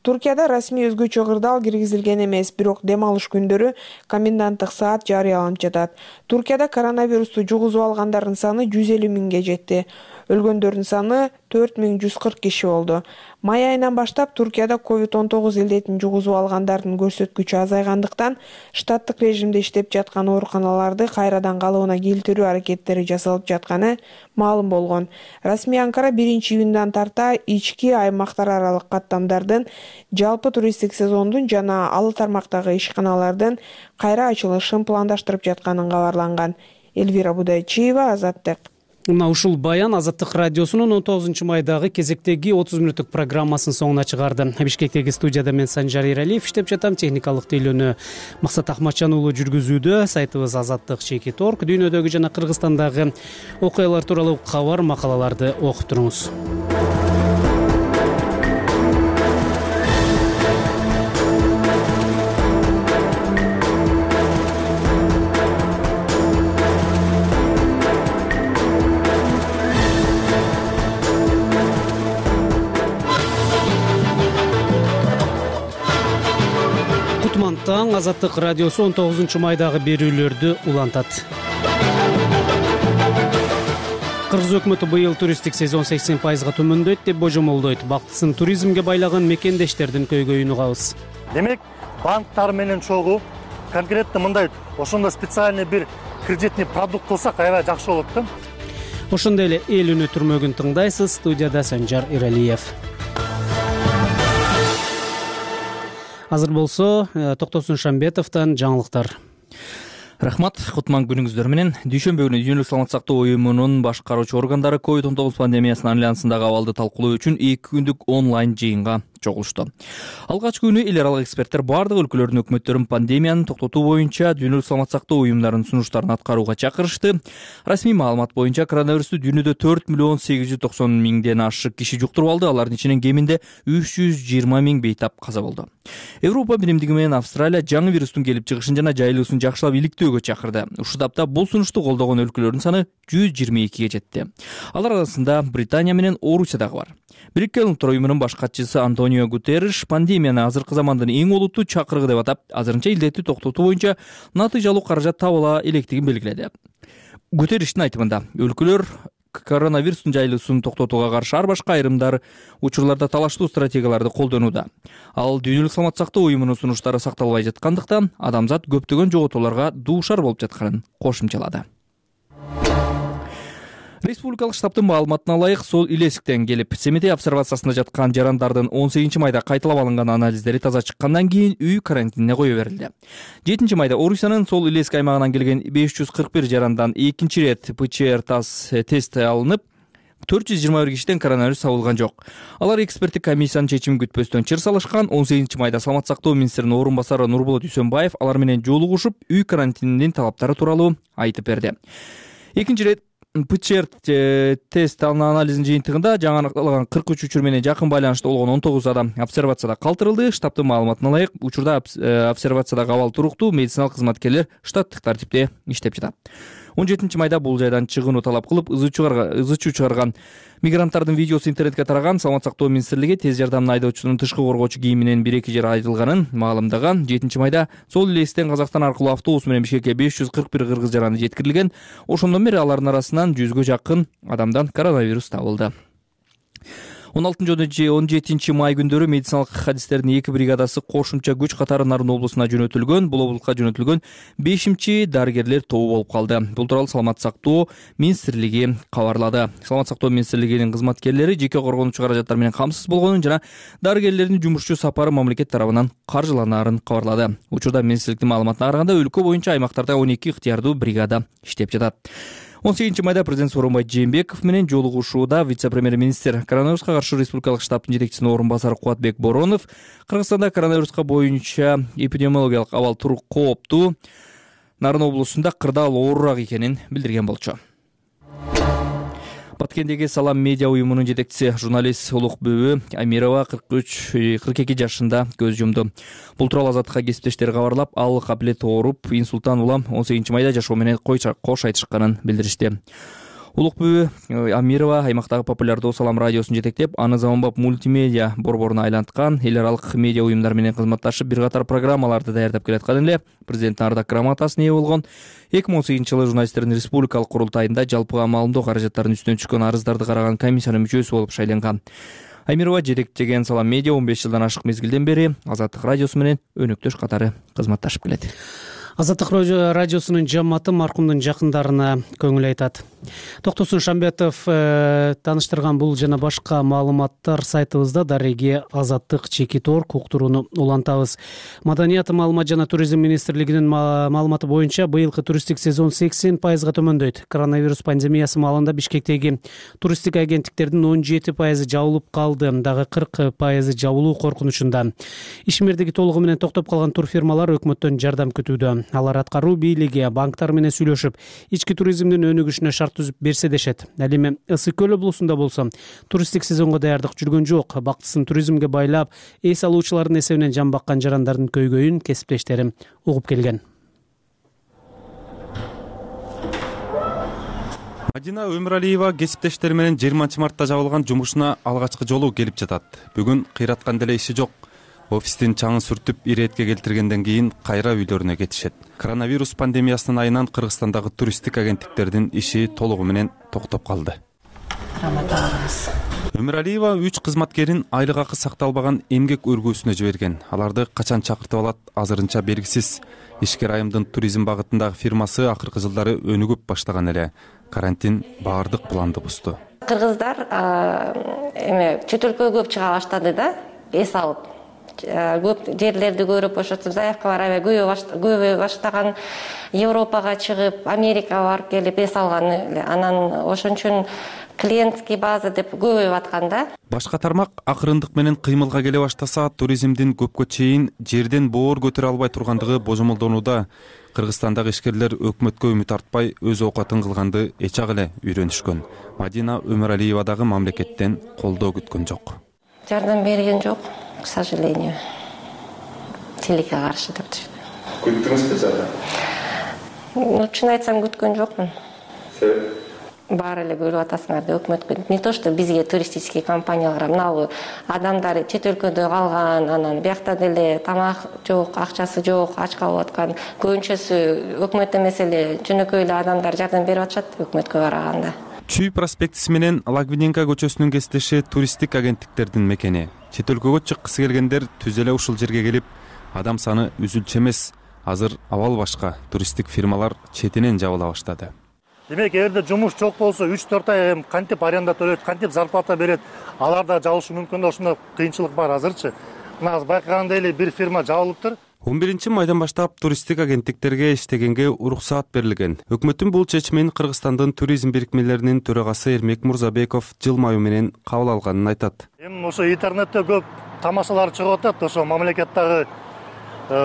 Туркияда расмий өзгөчө кырдаал киргизилген эмес, бирок дем алыш күндөрү коменданттык саат жарыяланып жатат. Туркияда коронавирусту жугузуп алгандардын саны жүз элүү миңге жетти. Өлгөндөрдүн саны төрт миң жүз кырк киши болду. Май айынан баштап Туркияда ковид он тогуз илдетин жугузуп алгандардын көрсөткүчү азайгандыктан штаттык режимде иштеп жаткан ооруканаларды кайрадан калыбына келтирүү аракеттери жасалып жатканы маалым болгон. Расмий Анкара биринчи июндан тарта ички аймактар аралык каттамдардын жалпы туристтик сезондун жана ал тармактагы ишканалардын кайра ачылышын пландаштырып жатканын кабарланган. Эльвира Будайчиева, Азаттык. Мына ушул баян Азаттык радиосунун он тогузунчу майдагы кезектеги отуз мүнөттүк программасынын соңуна чыгарды. Бишкектеги студияда мен Санжар Эралиев иштеп жатам. Техникалык тейлөөнү Максат Ахматжан уулу жүргүзүүдө. Сайтыбыз азаттык чекит точка орг. Дүйнөдөгү жана Кыргызстандагы окуялар тууралуу кабар, макалаларды окуп туруңуз. Таң Азаттык радиосу он тогузунчу майдагы берүүлөрдү улантат. Кыргыз өкмөтү быйыл туристтик сезон сексен пайызга төмөндөйт деп божомолдойт. Бактысын туризмге байлаган мекендештердин көйгөйүн угабыз. Демек, банктар менен чогуу конкретно мындай ошондой специальный бир кредитный продукт болсак аябай жакшы болот да. Ошондой эле эл үнү түрмөгүн тыңдайсыз. Студияда Санжар Эралиев. Азыр болсо Токтосун Шамбетовдон жаңылыктар. Рахмат, кутман күнүңүздөр менен. Дүйшөмбү күнү Дүйнөлүк саламаттык сактоо уюмунун башкаруучу органдары ковид он тогуз пандемиясынын альянсындагы абалды талкуулоо үчүн эки күндүк онлайн жыйынга чогулушту. Алгачкы күнү эл аралык эксперттер бардык өлкөлөрдүн өкмөттөрүн пандемияны токтотуу боюнча Дүйнөлүк саламаттык сактоо уюмдарынын сунуштарын аткарууга чакырышты. Расмий маалымат боюнча коронавирусту дүйнөдө төрт миллион сегиз жүз токсон миңден ашык киши жуктуруп алды. Алардын ичинен кеминде үч жүз жыйырма миң бейтап каза болду. Европа биримдиги менен Австралия жаңы вирустун келип чыгышын жана жайылуусун жакшылап иликтөөгө чакырды. Ушул тапта бул сунушту колдогон өлкөлөрдүн саны жүз жыйырма экиге жетти. Алар арасында Британия менен Орусия дагы бар. Бириккен Улуттар уюмунун баш катчысы Антонио Гутерриш пандемияны азыркы замандын эң олуттуу чакырыгы деп атап, азырынча илдетти токтотуу боюнча натыйжалуу каражат табыла электигин белгиледи. Гутерриштин айтымында, өлкөлөр коронавирустун жайылуусун токтотууга каршы ар башка айрымдар учурларда талаштуу стратегияларды колдонууда. Ал Дүйнөлүк саламаттык сактоо уюмунун сунуштары сакталбай жаткандыктан адамзат көптөгөн жоготууларга дуушар болуп жатканын кошумчалады. Республикалык штабтын маалыматына ылайык, Сол Илесиктен келип, Семетей обсервациясында жаткан жарандардын он сегизинчи майда кайталап алынган анализдери таза чыккандан кийин үй карантинине кое берилди. жетинчи майда Орусиянын Сол Илеск аймагынан келген беш жүз кырк бир жарандан экинчи ирет ПЧР тест алынып, төрт жүз жыйырма бир кишиден коронавирус табылган жок. Алар эксперттик комиссиянын чечимин күтпөстөн чыр салышкан. он сегизинчи майда Саламаттык сактоо министринин орун басары Нурболот Үсөнбаев алар менен жолугушуп, үй карантининин талаптары тууралуу айтып берди. Экинчи ирет ПЧР тест анализинин жыйынтыгында жаңы аныкталган кырк үч учур менен жакын байланышта болгон он тогуз адам обсервацияда калтырылды. Штабтын маалыматына ылайык, учурда обсервациядагы абал туруктуу, медициналык кызматкерлер штаттык тартипте иштеп жатат. он жетинчи майда бул жайдан чыгууну талап кылып, ызы чуу чыгарган мигранттардын видеосу интернетке тараган. Саламаттык сактоо министрлиги тез жардамдын айдоочусунун тышкы коргоочу кийиминен бир эки жер айдылганын маалымдаган. жетинчи майда Сол Илестен Казакстан аркылуу автобус менен Бишкекке беш жүз кырк бир кыргыз жараны жеткирилген. Ошондон бери алардын арасынан жүзгө жакын адамдан коронавирус табылды. он алтынчы жана он жетинчи май күндөрү медициналык хадистердин эки бригадасы кошумча күч катары Нарын облусуна жөнөтүлгөн. Бул облукка жөнөтүлгөн бешинчи дарыгерлер тобу болуп калды. Бул тууралуу Саламаттык сактоо министрлиги кабарлады. Саламаттык сактоо министрлигинин кызматкерлери жеке коргонуучу каражаттар менен камсыз болгонун жана дарыгерлердин жумушчу сапары мамлекет тарабынан каржыланаарын кабарлады. Учурда министрликтин маалыматына караганда өлкө боюнча аймактарда он эки ыктыярдуу бригада иштеп жатат. он сегизинчи майда президент Сооронбай Жээнбеков менен жолугушууда вице-премьер-министр, коронавируска каршы республикалык штабтын жетекчисинин орун басары Кубатбек Боронов Кыргызстанда коронавируска боюнча эпидемиологиялык абал турук кооптуу, Нарын облусунда кырдаал оорураак экенин билдирген болчу. Баткендеги Салам медиа уюмунун жетекчиси журналист Улукбүбү Амирова кырк үч кырк эки жашында көз жумду. Бул тууралуу Азаттыкка кесиптештери кабарлап, ал кабилет ооруп, инсульттан улам он сегизинчи майда жашоо менен кош айтышканын билдиришти. Улукбүбү Амирова аймактагы популярдуу Салам радиосун жетектеп, аны заманбап мультимедиа борборуна айланткан, эл аралык медиа уюмдар менен кызматташып, бир катар программаларды даярдап келаткан эле. Президенттин ардак грамотасына ээ болгон. эки миң он сегизинчи жылы журналисттердин республикалык курултайында жалпыга маалымдоо каражаттарынын үстүнөн түшкөн арыздарды караган комиссиянын мүчөсү болуп шайланган. Амирова жетектеген Салам медиа он беш жылдан ашык мезгилден бери Азаттык радиосу менен өнөктөш катары кызматташып келет. Азаттык радиосунун жамааты маркумдун жакындарына көңүл айтат. Токтосун Шамбетов э, тааныштырган бул жана башка маалыматтар сайтыбызда дареги Азаттык чекит орг уктурууну улантабыз. Маданият, маалымат жана туризм министрлигинин маалыматы боюнча быйылкы туристтик сезон сексен пайызга төмөндөйт. Коронавирус пандемиясы маалында Бишкектеги туристтик агенттиктердин он жети пайызы жабылып калды, дагы кырк пайызы жабылуу коркунучунда. Ишмердиги толугу менен токтоп калган турфирмалар өкмөттөн жардам күтүүдө. Алар аткаруу бийлиги банктар менен сүйлөшүп, ички туризмдин өнүгүшүнө шарт түзүп берсе дешет. Ал эми Ысык көл облусунда болсо туристтик сезонго даярдык жүргөн жок. Бактысын туризмге байлап, эс алуучулардын эсебинен жан баккан жарандардын көйгөйүн кесиптештерим угуп келген. Мадина Өмүралиева кесиптештери менен жыйырманчы мартта жабылган жумушуна алгачкы жолу келип жатат. Бүгүн кыйраткан деле иши жок. Офистин чаңын сүртүп иретке келтиргенден кийин кайра үйлөрүнө кетишет. Коронавирус пандемиясынын айынан Кыргызстандагы туристтик агенттиктердин иши толугу менен токтоп калды. Өмүралиева үч кызматкерин айлык акы сакталбаган эмгек өргүүсүнө жиберген. Аларды качан чакыртып алат азырынча белгисиз. Ишкер айымдын туризм багытындагы фирмасы акыркы жылдары өнүгүп баштаган эле. Карантин баардык планды бузду. Кыргыздар эме чет өлкөгө көп чыга баштады да, эс алып. Көп жерлерди көрүп, ошентип заявкалар аябай көбөй баштаган, Европага чыгып, Америкага барып келип эс алган эле. Анан ошон үчүн клиентский база деп көбөйүп аткан да. Башка тармак акырындык менен кыймылга келе баштаса, туризмдин көпкө чейин жерден боор көтөрө албай тургандыгы божомолдонууда. Кыргызстандагы ишкерлер өкмөткө үмүт артпай өз оокатын кылганды эчак эле үйрөнүшкөн. Мадина Өмүралиева дагы мамлекеттен колдоо күткөн жок. Жардам берген жок, к сожалению. Тилекке каршы деп түшүнөм. Күттүңүзбү жардам? Ну, чын айтсам күткөн жокмун. Себеп? Баары эле бөлүп атасыңар деп өкмөткө. Не то что бизге туристический компаниялар, мына адамдар чет өлкөдө калган, анан биякта деле тамак жок, акчасы жок, ач калып аткан. Көбүнчөсү өкмөт эмес эле жөнөкөй эле адамдар жардам берип атышат өкмөткө караганда. Чүй проспектиси менен Лагвиненко көчөсүнүн кесиптеши туристтик агенттиктердин мекени. Чет өлкөгө чыккысы келгендер түз эле ушул жерге келип, адам саны үзүлчү эмес. Азыр абал башка, туристтик фирмалар четинен жабыла баштады. Демек, эгерде жумуш жок болсо, үч төрт ай кантип аренда төлөйт, кантип зарплата берет, алар да жабышы мүмкүн да, ошондой кыйынчылык бар азырчы. Мына азыр байкагандай эле бир фирма жабылыптыр. он биринчи майдан баштап туристтик агенттиктерге иштегенге уруксаат берилген. Өкмөттүн бул чечимин Кыргызстандын туризм бирикмелеринин төрагасы Эрмек Мурзабеков жылмаюу менен кабыл алганын айтат. Эми ошо интернетте көп тамашалар чыгып атат, ошо мамлекеттеги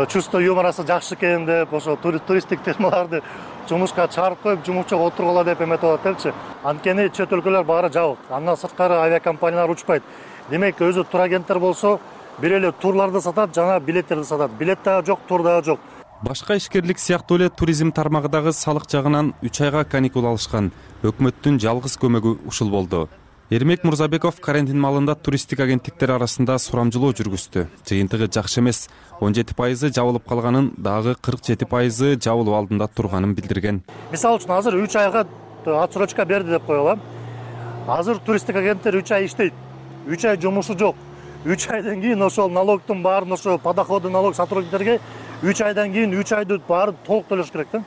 чувство юморасы жакшы экен деп, ошо туристтик фирмаларды жумушка чыгарып коюп, жумушчуга отургула деп эметип атат депчи. Анткени чет өлкөлөр баары жабык. Андан сырткары авиакомпаниялар учпайт. Демек, өзү турагенттер болсо бир эле турларды сатат, жана билеттерди сатат. Билет дагы жок, тур дагы жок. Башка ишкерлик сыяктуу эле туризм тармагы дагы салык жагынан үч айга каникул алышкан. Өкмөттүн жалгыз көмөгү ушул болду. Эрмек Мурзабеков карантин маалында туристтик агенттиктер арасында сурамжылоо жүргүздү. Жыйынтыгы жакшы эмес. он жети пайызы жабылып калганын, дагы кырк жети пайызы жабылуу алдында турганын билдирген. Мисалы үчүн азыр үч айга отсрочка берди деп коелу. Азыр туристтик агенттер үч ай иштейт. үч ай жумушу жок. үч айдан кийин ошол налогтун баарын, ошо подоходный налог сотрудниктерге үч айдан кийин үч айды баарын толук төлөш керек да.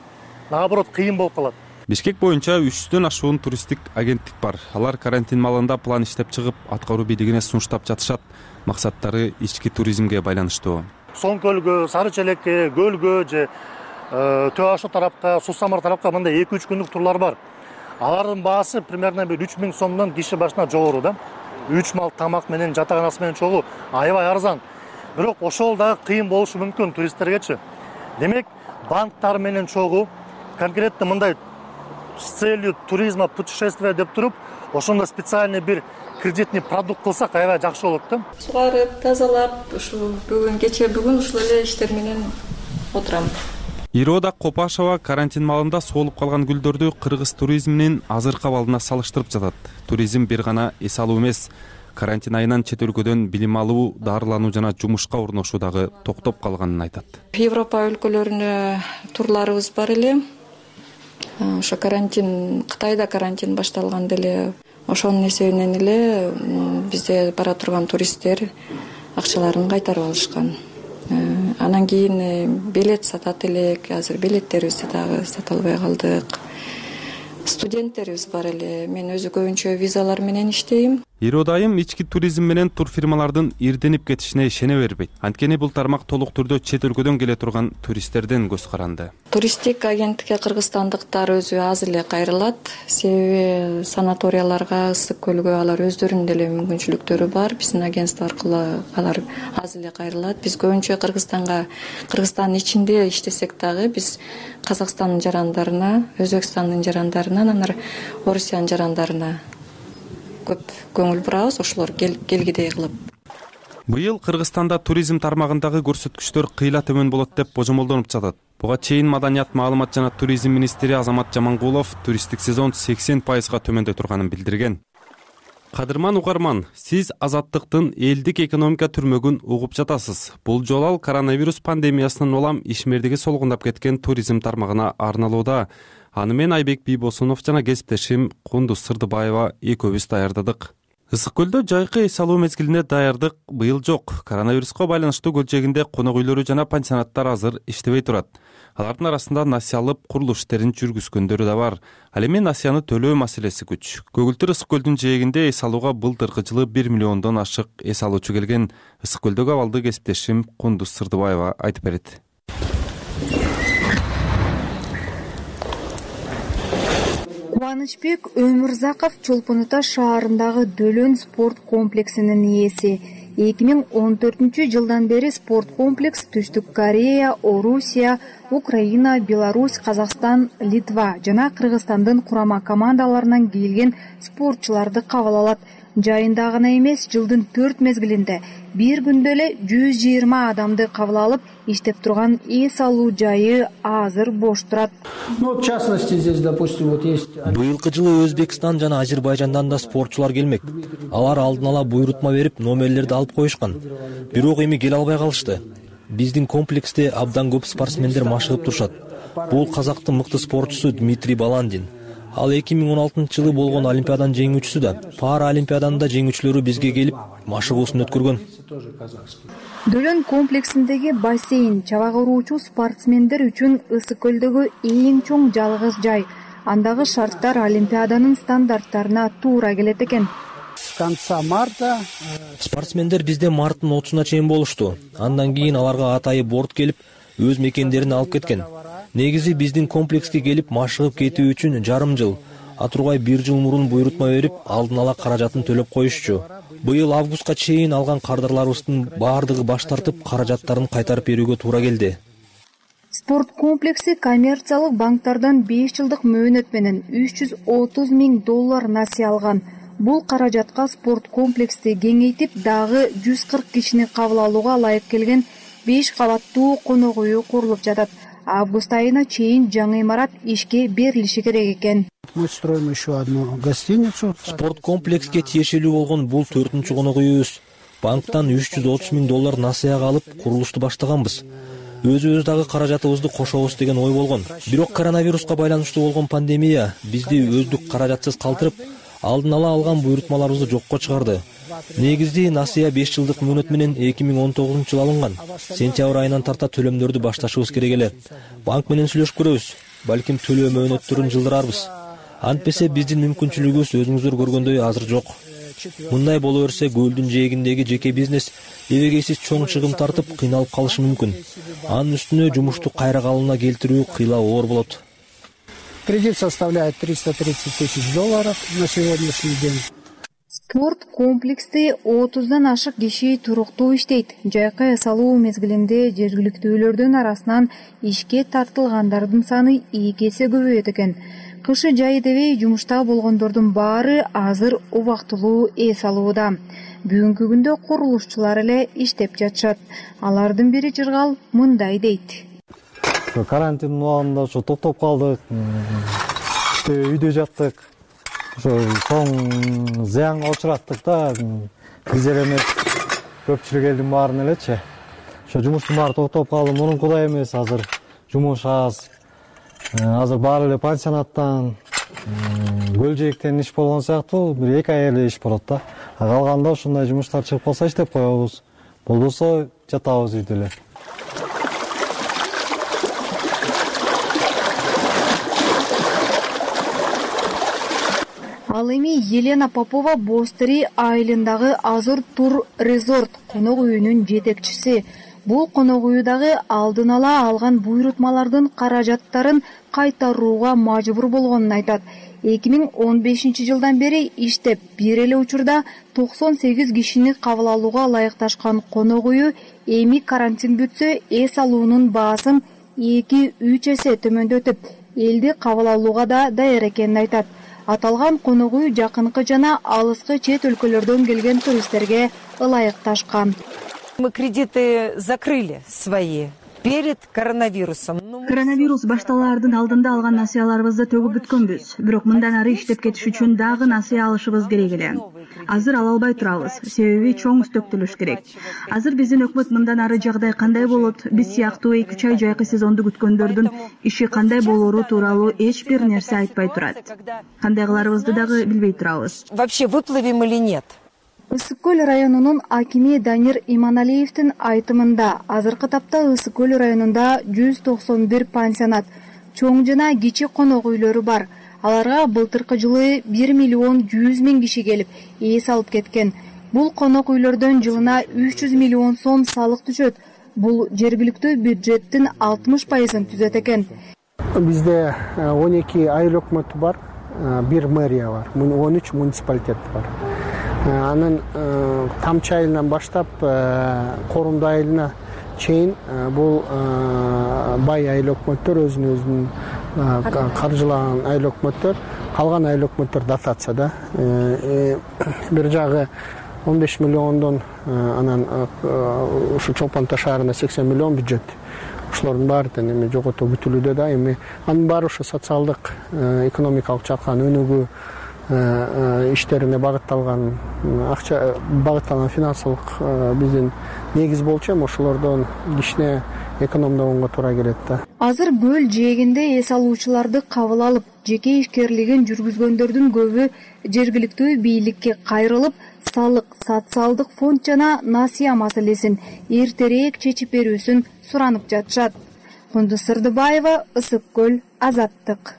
Наоборот, кыйын болуп калат. Бишкек боюнча үч жүздөн ашуун туристтик агенттик бар. Алар карантин маалында план иштеп чыгып, аткаруу бийлигине сунуштап жатышат. Максаттары ички туризмге байланыштуу. Соң көлгө, Сары Челекке, Көлгө же Төө Ашу тарапка, Суу Самар тарапка мындай эки үч күндүк турлар бар. Алардын баасы примерно бир үч миң сомдон киши башына жогору да. үч мал тамак менен, жатаканасы менен чогуу аябай арзан. Бирок ошол дагы кыйын болушу мүмкүн туристтергечи. Демек, банктар менен чогуу конкретно мындай с целью туризма, путешествия деп туруп, ошондо специальный бир кредитный продукт кылсак аябай жакшы болот да. Сугарып, тазалап, ушу бүгүн кече бүгүн ушул эле иштер менен отурам. Ирода Копашова карантин маалында соолуп калган гүлдөрдү кыргыз туризминин азыркы абалына салыштырып жатат. Туризм бир гана эс алуу эмес, карантин айынан чет өлкөдөн билим алуу, дарылануу жана жумушка орношуу дагы токтоп калганын айтат. Европа өлкөлөрүнө турларыбыз бар эле. Ошо карантин, Кытайда карантин башталганда эле ошонун эсебинен эле бизде бара турган туристтер акчаларын кайтарып алышкан. анан кийин билет сатат элек, азыр билеттерибизди дагы сата албай калдык. Студенттерибиз бар эле. Мен өзү көбүнчө визалар менен иштейм. Ирод айым ички туризм менен тур фирмалардын ирденип кетишине ишене бербейт. Анткени бул тармак толук түрдө чет өлкөдөн келе турган туристтерден көз каранды. Туристтик агенттикке кыргызстандыктар өзү аз эле кайрылат. Себеби санаторияларга, ысык көлгө алар өздөрүнүн деле мүмкүнчүлүктөрү бар. Биздин агентство аркылуу алар аз эле кайрылат. Биз көбүнчө Кыргызстанга, Кыргызстандын ичинде иштесек дагы биз Казакстандын жарандарына, Өзбекстандын жарандарына, анан Орусиянын жарандарына көп көңүл бурабыз, ошолор келгидей кылып. Быйыл Кыргызстанда туризм тармагындагы көрсөткүчтөр кыйла төмөн болот деп божомолдонуп жатат. Буга чейин Маданият, маалымат жана туризм министри Азамат Жамангулов туристтик сезон сексен пайызга төмөндөй турганын билдирген. Кадырман угарман, сиз Азаттыктын элдик экономика түрмөгүн угуп жатасыз. Бул жолу ал коронавирус пандемиясынан улам ишмердиги солгундап кеткен туризм тармагына арналууда. Аны мен Айбек Бийбосунов жана кесиптешим Кундуз Сырдыбаева экөөбүз даярдадык. Ысык көлдө жайкы эс алуу мезгилине даярдык быйыл жок. Коронавируска байланыштуу көлчегинде конок үйлөрү жана пансионаттар азыр иштебей турат. Алардын арасында насыя алып курулуш иштерин жүргүзгөндөрү да бар. Ал эми насыяны төлөө маселеси күч. Көгүлтүр ысык көлдүн жээгинде эс алууга былтыркы жылы бир миллиондон ашык эс алуучу келген. Ысык көлдөгү абалды кесиптешим Кундуз Сырдыбаева айтып берет. Кубанычбек Өмүрзаков Чолпон Ата шаарындагы Дөлөн спорт комплексинин ээси. эки миң он төртүнчү жылдан бери спорт комплекс Түштүк Корея, Орусия, Украина, Беларусь, Казакстан, Литва жана Кыргызстандын курама командаларынан келген спортчуларды кабыл алат. Жайында гана эмес, жылдын төрт мезгилинде бир күндө эле жүз жыйырма адамды кабыл алып, иштеп турган эс алуу жайы азыр бош турат. Ну, в частности, здесь, допустим, вот есть... Быйылкы жылы Өзбекстан жана Азербайжандан да спортчулар келмек. Алар алдын ала буйрутма берип, номерлерди алып коюшкан. Бирок эми келе албай калышты. Биздин комплексте абдан көп спортсмендер машыгып турушат. Бул казактын мыкты спортчусу Дмитрий Баландин. Ал эки миң он алтынчы жылы болгон олимпиаданын жеңүүчүсү да. Пара олимпиаданын да жеңүүчүлөрү бизге келип машыгуусун өткөргөн. Дөлөн комплексиндеги бассейн чабак уруучу спортсмендер үчүн ысык көлдөгү эң чоң жалгыз жай. Андагы шарттар олимпиаданын стандарттарына туура келет экен. С конца марта спортсмендер бизде марттын отузуна чейин болушту. Андан кийин аларга атайы борт келип, өз мекендерин алып кеткен. Негизи биздин комплекске келип машыгып кетүү үчүн жарым жыл, а тургай бир жыл мурун буйрутма берип, алдын ала каражатын төлөп коюшчу. Быйыл августка чейин алган кардарларыбыздын баардыгы баш тартып, каражаттарын кайтарып берүүгө туура келди. Спорт комплекси коммерциялык банктардан беш жылдык мөөнөт менен үч жүз отуз миң доллар насыя алган. Бул каражатка спорт комплексти кеңейтип, дагы жүз кырк кишини кабыл алууга ылайык келген беш кабаттуу конок үйү курулуп жатат. Август айына чейин жаңы имарат ишке берилиши керек экен. Мы строим еще одну гостиницу. Спорт комплекске тиешелүү болгон бул төртүнчү конок үйүбүз. Банктан үч жүз отуз миң доллар насыяга алып курулушту баштаганбыз. Өзүбүз дагы каражатыбызды кошобуз деген ой болгон. Бирок коронавируска байланыштуу болгон пандемия бизди өздүк каражатсыз калтырып, алдын ала алган буйрутмаларыбызды жокко чыгарды. Негизи насыя беш жылдык мөөнөт менен эки миң он тогузунчу жылы алынган. Сентябрь айынан тарта төлөмдөрдү башташыбыз керек эле. Банк менен сүйлөшүп көрөбүз. Балким төлөө мөөнөттөрүн жылдырарбыз. Антпесе биздин мүмкүнчүлүгүбүз өзүңүздөр көргөндөй азыр жок. Мындай боло берсе көлдүн жээгиндеги жеке бизнес эбегейсиз чоң чыгым тартып кыйналып калышы мүмкүн. Анын үстүнө жумушту кайра калыбына келтирүү кыйла оор болот. Кредит составляет триста тридцать тысяч долларов на сегодняшний день. Спорт комплекси отуздан ашык киши туруктуу иштейт. Жайкы эс алуу мезгилинде жергиликтүүлөрдүн арасынан ишке тартылгандардын саны эки эсе көбөйөт экен. Кышы жайы дебей жумушта болгондордун баары азыр убактылуу эс алууда. Бүгүнкү күндө курулушчулар эле иштеп жатышат. Алардын бири Жыргал мындай дейт. Карантин убагында ошо токтоп калдык. Үйдө жаттык. Ошо соң зыянга учураттык да. Биз эле эмес, көпчүлүк элдин баарын элечи. Ошо жумуштун баары токтоп калды. Мурункудай эмес, азыр жумуш аз. Азыр баары эле пансионаттан, көлжээктен иш болгон сыяктуу, бир эки ай эле иш болот да. Калганда ушундай жумуштар чыгып калса иштеп коебуз. Болбосо жатабыз үйдө эле. Ал эми Елена Попова Бостери айылындагы Азур Тур Резорт конок үйүнүн жетекчиси. Бул конок үйдагы алдын ала алган буйрутмалардын каражаттарын кайтарууга мажбур болгонун айтат. эки миң он бешинчи жылдан бери иштеп, бир эле учурда токсон сегиз кишини кабыл алууга ылайыкташкан конок үйү эми карантин бүтсө эс алуунун баасын эки үч эсе төмөндөтүп, элди кабыл алууга да даяр экенин айтат. Аталган конок үй жакынкы жана алыскы чет өлкөлөрдөн келген туристтерге ылайыкташкан. Мы кредиты закрыли свои перед коронавирусом. Коронавирус башталаардын алдында алган насыяларыбызды төгүп бүткөнбүз. Бирок мындан ары иштеп кетиш үчүн дагы насыя алышыбыз керек эле. Азыр ала албай турабыз, себеби чоң үстөктөлүш керек. Азыр биздин өкмөт мындан ары жагдай кандай болот, биз сыяктуу эки үч ай жайкы сезонду күткөндөрдүн иши кандай болоору тууралуу эч бир нерсе айтпай турат. Кандай кыларыбызды дагы билбей турабыз. Вообще выплывем или нет? Ысык көл районунун акими Данир Иманалиевдин айтымында азыркы тапта Ысык көл районунда жүз токсон бир пансионат, чоң жана кичи конок үйлөрү бар. Аларга былтыркы жылы бир миллион жүз миң киши келип, эс алып кеткен. Бул конок үйлөрдөн жылына үч жүз миллион сом салык түшөт. Бул жергиликтүү бюджеттин алтымыш пайызын түзөт экен. Бизде он эки айыл өкмөтү бар, бир мэрия бар, он үч муниципалитет бар. Анын Тамчы айылынан баштап Корунду айылына чейин бул бай айыл өкмөттөр, өзүн өзүнүн каржылаган айыл өкмөттөр, калган айыл өкмөттөр дотацияда. Бир жагы он беш миллиондон, анан ушу Чолпон Ата шаарына сексен миллион бюджет. Ушулардын баары эми жоготуу бүтүлүүдө да, эми анын баары ушу социалдык, экономикалык жактан өнүгүү иштерине багытталган, акча багытталган финансылык биздин негиз болчу, эми ошолордон кичине экономдогонго туура келет да. Азыр көл жээгинде эс алуучуларды кабыл алып, жеке ишкерлигин жүргүзгөндөрдүн көбү жергиликтүү бийликке кайрылып, салык, социалдык фонд жана насыя маселесин эртерээк чечип берүүсүн суранып жатышат. Кундуз Сырдыбаева, Ысык көл, Азаттык.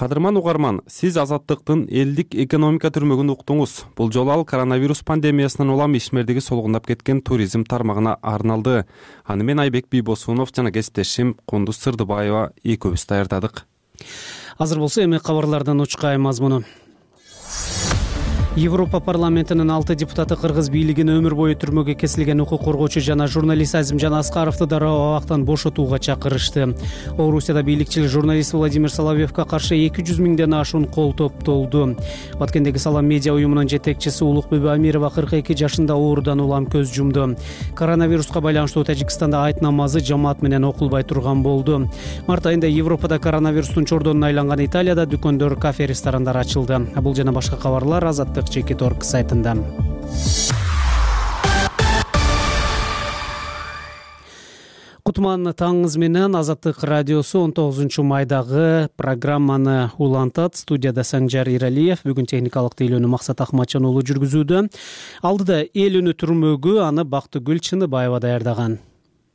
Кадырман угарман, сиз Азаттыктын элдик экономика түрмөгүн уктуңуз. Бул жолу ал коронавирус пандемиясынан улам ишмердиги солгундап кеткен туризм тармагына арналды. Аны мен Айбек Бийбосунов жана кесиптешим Кундуз Сырдыбаева экөөбүз даярдадык. Азыр болсо эми кабарлардан учкай мазмуну. Европа парламентинин алты депутаты кыргыз бийлигин өмүр бою түрмөгө кесилген укук коргоочу жана журналист Азимжан Аскаровду дароо абактан бошотууга чакырышты. Орусияда бийликчил журналист Владимир Соловьевго каршы эки жүз миңден ашуун кол топтолду. Баткендеги Салам медиа уюмунун жетекчиси Улукбүбү Амирова кырк эки жашында оорудан улам көз жумду. Коронавируска байланыштуу Тажикстанда айт намазы жамаат менен окулбай турган болду. Март айында Европада коронавирустун чордонуна айланган Италияда дүкөндөр, кафе, ресторандар ачылды. Бул жана башка кабарлар Азаттык Чекит Орг сайтында. Кутман таңыңыз менен Азаттык радиосу он тогузунчу майдагы программаны улантат. Студияда Санжар Иралиев, бүгүн техникалык тейлөөнү Максат Акматжан уулу жүргүзүүдө. Алдыда эл үнү түрмөгү, аны Бактыгүл Чыныбаева даярдаган.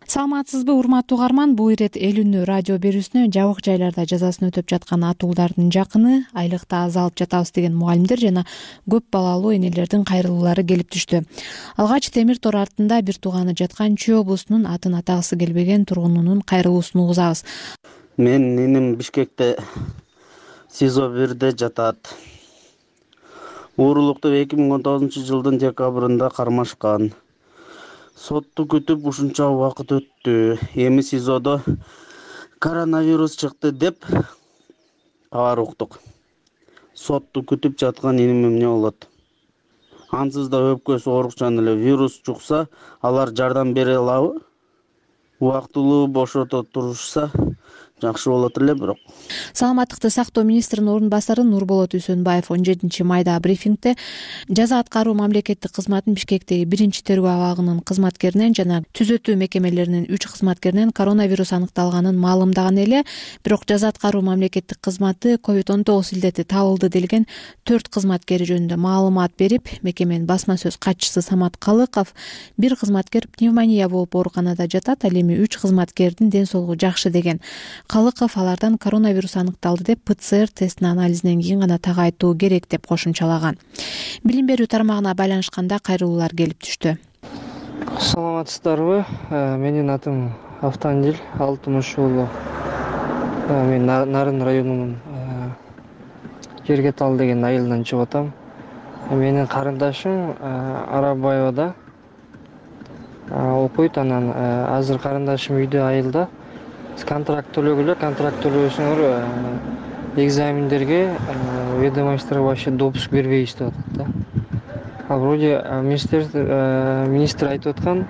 Саламатсызбы, урматтуу угарман? Бул ирет эл үнү радио берүүсүнө жабык жайларда жазасын өтөп жаткан атуулардын жакыны, айлыкта аз алып жатабыз деген мугалимдер жана көп балалуу энелердин кайрылуулары келип түштү. Алгач темир тор артында бир тууганы жаткан Чүй облусунун атын атагысы келбеген тургунунун кайрылуусун угузабыз. Мен иним Бишкекте СИЗО бирде жатат. Уурулукту эки миң он тогузунчу жылдын декабрында кармашкан. Сотту күтүп ушунча убакыт өттү. Эми СИЗОдо коронавирус чыкты деп кабар уктук. Сотту күтүп жаткан иним эмне болот? Ансыз да өпкөсү оорукчан эле, вирус чукса, алар жардам бере алабы? Убактылуу бошото турушса жакшы болот эле, бирок. Саламаттыкты сактоо министринин орун басары Нурболот Үсөнбаев он жетинчи майда брифингде жаза аткаруу мамлекеттик кызматын Бишкектеги биринчи тергөө абагынын кызматкеринен жана түзөтүү мекемелеринин үч кызматкеринен коронавирус аныкталганын маалымдаган эле, бирок жаза аткаруу мамлекеттик кызматы ковид он тогуз илдети табылды делген төрт кызматкери жөнүндө маалымат берип, мекеменин басма сөз катчысы Самат Калыков бир кызматкер пневмония болуп ооруканада жатат, ал эми үч кызматкердин ден соолугу жакшы деген. Калыков алардан коронавирус аныкталды деп ПЦР тестинин анализинен кийин гана так айтуу керек деп кошумчалаган. Билим берүү тармагына байланышканда кайрылуулар келип түштү. Саламатсыздарбы? Менин атым Автандил Алтымыш уулу. Мен Нарын районунун Жергетал деген айылынан чыгып атам. Менин карындашым Арабаевада окуйт. Анан азыр карындашым үйдө айылда. Контракт төлөгүлө, контракт төлөбөсөңөр экзамендерге ведомость вообще допуск бербейбиз деп атат да. А вроде министр министр айтып аткан,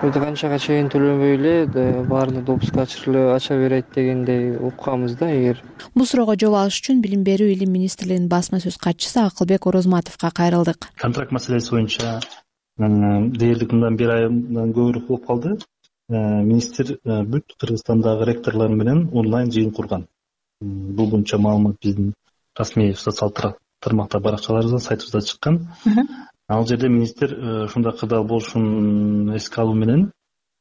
өтө канчага чейин төлөнбөй эле баарына допуск ачырылып ача берет дегендей укканбыз да. Эгер бул суроого жооп алыш үчүн Билим берүү илим министрлигинин басма сөз катчысы Акылбек Орозматовго кайрылдык. Контракт маселеси боюнча дээрлик мындан бир айдан көбүрөөк болуп калды. Министр бүт Кыргызстандагы ректорлор менен онлайн жыйын курган. Бул боюнча маалымат биздин расмий социалдык тармакта баракчаларыбызда, сайтыбызда чыккан. Ал жерде министр ушундай кырдаал болушун эске алуу менен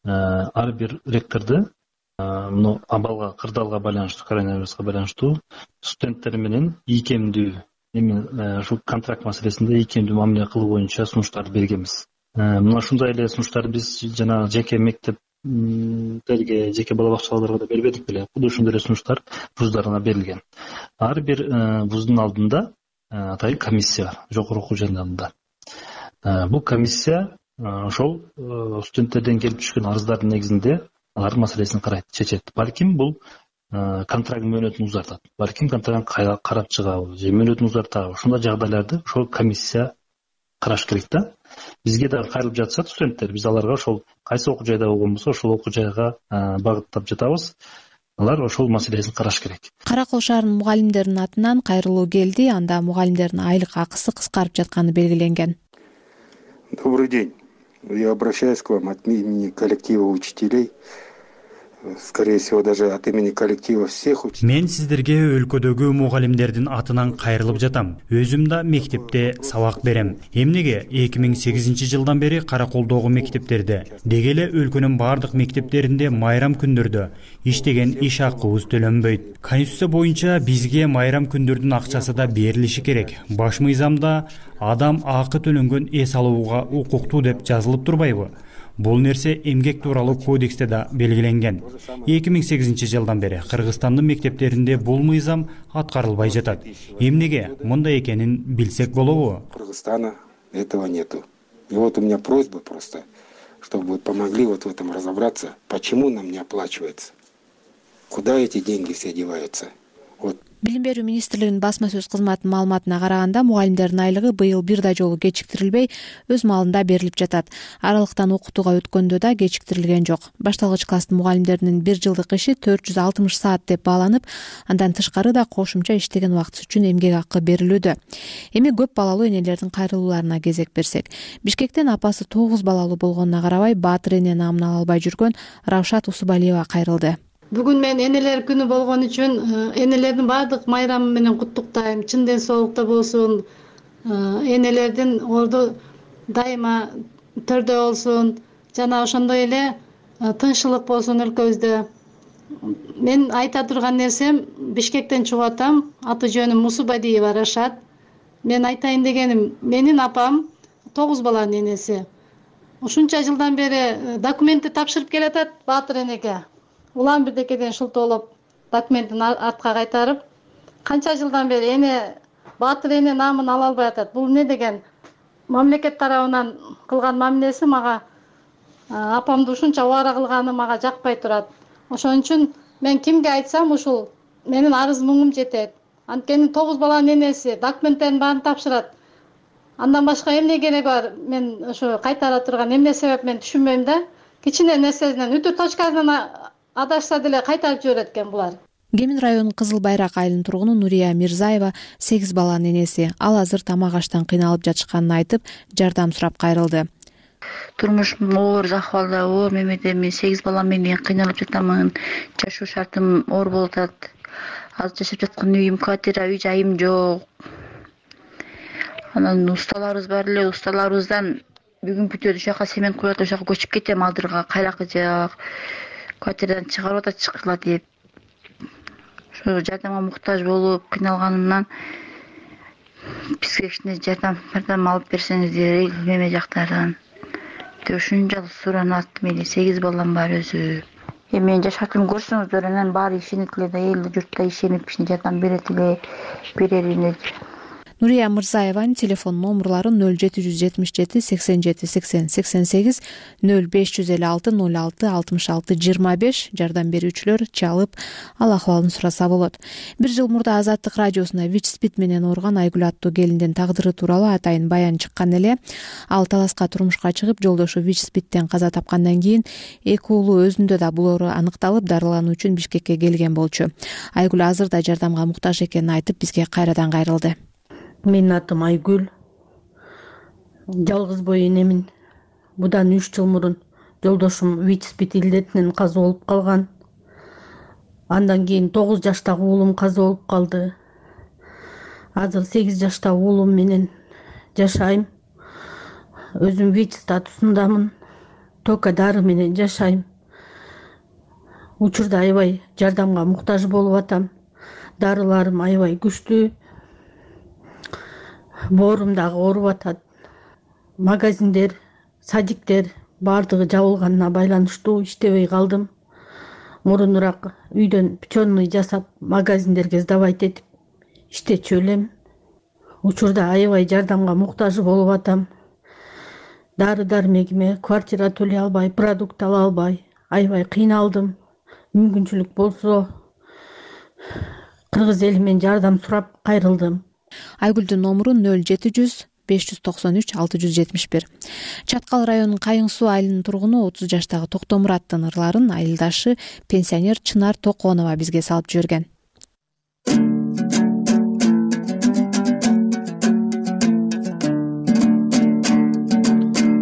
ар бир ректорду мына абалга, кырдаалга байланыштуу, коронавируска байланыштуу студенттер менен ийкемдүү эми ушу контракт маселесинде ийкемдүү мамиле кылуу боюнча сунуштарды бергенбиз. Мына ушундай эле сунуштарды биз жана жеке мектептерге, жеке бала бакчаларга да бербедик беле. Бул ушундай эле сунуштар вуздарына берилген. Ар бир вуздун алдында атайын комиссия бар, жогорку окуу жайдарында. Бул комиссия ошол студенттерден келип түшкөн арыздардын негизинде алардын маселесин карайт, чечет. Балким бул контракт мөөнөтүн узартат. Балким контрактты карап чыгабы, же мөөнөтүн узартабы. Ушундай жагдайларды ошол комиссия караш керек да. Бизге да кайрылып жатышат студенттер. Биз аларга ошол кайсы окуу жайда болгон болсо, ошол окуу жайга багыттап жатабыз. Алар ошол маселесин караш керек. Кара Кол шаарынын мугалимдеринин атынан кайрылуу келди. Анда мугалимдердин айлык акысы кыскарып жатканы белгиленген. Добрый день. Я обращаюсь к вам от имени коллектива учителей. Скорее всего, даже от имени коллектива всех учителей. Мен сиздерге өлкөдөгү мугалимдердин атынан кайрылып жатам. Өзүм да мектепте сабак берем. Эмнеге эки миң сегизинчи жылдан бери Кара Колдогу мектептерде, деги эле өлкөнүн бардык мектептеринде майрам күндөрдө иштеген иш акыбыз төлөнбөйт. Конституция боюнча бизге майрам күндөрдүн акчасы да берилиши керек. Баш мыйзамда адам акы төлөнгөн эс алууга укуктуу деп жазылып турбайбы? Бул нерсе эмгек тууралуу кодексте да белгиленген. эки миң сегизинчи жылдан бери Кыргызстандын мектептеринде бул мыйзам аткарылбай жатат. Эмнеге мындай экенин билсек болобу? Кыргызстана этого нету. И вот у меня просьба просто, чтобы вы помогли вот в этом разобраться, почему нам не оплачивается, куда эти деньги все деваются. Вот. Билим берүү министрлигинин басма сөз кызматынын маалыматына караганда, мугалимдердин айлыгы быйыл бир да жолу кечиктирилбей, өз маалында берилип жатат. Аралыктан окутууга өткөндө да кечиктирилген жок. Башталгыч класстын мугалимдеринин бир жылдык иши төрт жүз алтымыш саат деп бааланып, андан тышкары да кошумча иштеген убактысы үчүн эмгек акы берилүүдө. Эми көп балалуу энелердин кайрылууларына кезек берсек. Бишкектен апасы тогуз балалуу болгонуна карабай, Баатыр эне намын ала албай жүргөн Равшат Усубалиева кайрылды. Бүгүн мен энелер күнү болгон үчүн энелердин баардык майрамы менен куттуктайм. Чын ден соолукта болсун. Энелердин орду дайыма төрдө болсун. Жана ошондой эле тынччылык болсун өлкөбүздө. Мен айта турган нерсем, Бишкектен чыгып атам. Аты жөнүм Усубалиева Рашат. Мен айтайын дегеним, менин апам тогуз баланын энеси. Ушунча жылдан бери документти тапшырып келатат Баатыр энеге. Улам бирдекеден шултоолоп документин артка кайтарып, канча жылдан бери эне Баатыр эне намын ала албай атат. Бул эмне деген? Мамлекет тарабынан кылган мамилеси мага апамды ушунча убара кылганы мага жакпай турат. Ошон үчүн мен кимге айтсам ушул менин арыз муңум жетет. Анткени тогуз баланын энеси документтерин баарын тапшырат. Андан башка эмне керек бар? Мен ошо кайтара турган эмне себеп мен түшүнбөйм да. Кичине нерсесинен үтүр точкасынан адашса деле кайтарып жиберет экен булар. Кемин районунун Кызыл Байрак айылынын тургуну Нурия Мирзаева сегиз баланын энеси. Ал азыр тамак аштан кыйналып жатышканын айтып, жардам сурап кайрылды. Турмушум оор акыбалда, оор мемедеми сегиз бала менен кыйналып жатамын. Жашоо шартым оор болуп атат. Азыр жашап жаткан үйүм квартира, үй жайым жок. Анан усталарыбыз бар эле, усталарыбыздан бүгүн бүтөт, ошака семен куят, ошака көчүп кетем, алдырга кайракы жак. Квартирадан чыгарып атат чыккыла деп. ушу жардамга муктаж болуп кыйналганымдан бизге кичине жардам жардам алып берсеңиздер эме жактардан деп ушунчалык суранат. Мени сегиз балам бар өзү. Эми менин жашаатымды көрсөңүздөр анан баары ишенет эле да, эл журт да ишенип кичине жардам берет эле, берерине. Нурия Мырзаеванын телефон номерлары ноль жети жүз жетимиш жети сексен жети сексен сексен сегиз, ноль беш жүз элүү алты ноль алты алтымыш алты жыйырма беш. Жардам берүүчүлөр чалып ал акыбалын сураса болот. Бир жыл мурда Азаттык радиосуна ВИЧ-СПИД менен ооруган Айгүл аттуу келиндин тагдыры тууралуу атайын баян чыккан эле. Ал таласка турмушка чыгып, жолдошу ВИЧ-СПИДтен каза тапкандан кийин эки уулу өзүндө да бул оору аныкталып, дарылануу үчүн Бишкекке келген болчу. Айгүл азыр да жардамга муктаж экенин айтып, бизге кайрадан кайрылды. Менин атым Айгүл. Жалгыз бой энемин. Будан үч жыл мурун жолдошум ВИЧ-СПИД илдетинен каза болуп калган. Андан кийин тогуз жаштагы уулум каза болуп калды. Азыр сегиз жаштагы уулум менен жашайм. Өзүм ВИЧ статусундамын. Только дары менен жашайм. Учурда аябай жардамга муктаж болуп атам. Дарыларым аябай күчтүү. Боорум дагы ооруп атат. Магазиндер, садиктер баардыгы жабылганына байланыштуу иштебей калдым. Мурунураак үйдөн печёный жасап, магазиндерге сдавать этип иштечү элем. Учурда аябай жардамга муктаж болуп атам. Дары дармегиме квартира төлөй албай, продукт ала албай, аябай кыйналдым. Мүмкүнчүлүк болсо кыргыз элимен жардам сурап кайрылдым. Айгүлдүн номуру ноль жети жүз беш жүз токсон үч алты жүз жетимиш бир. Чаткал районунун Кайың суу айылынын тургуну отуз жаштагы Токтомураттын ырларын айылдашы пенсионер Чынар Токонова бизге салып жиберген.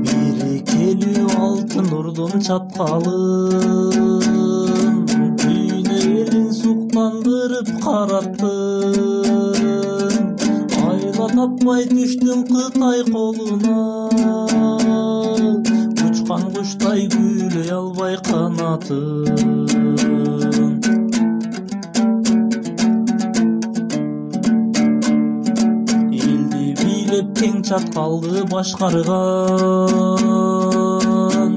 Берекелүү алтын ордун чаткалын дүйнө элин суктандырып караттын. Таппай түштүм Кытай колуна, учкан куштай күйлөй албай канатын. Элди бийлеп кең чаткалды башкарган,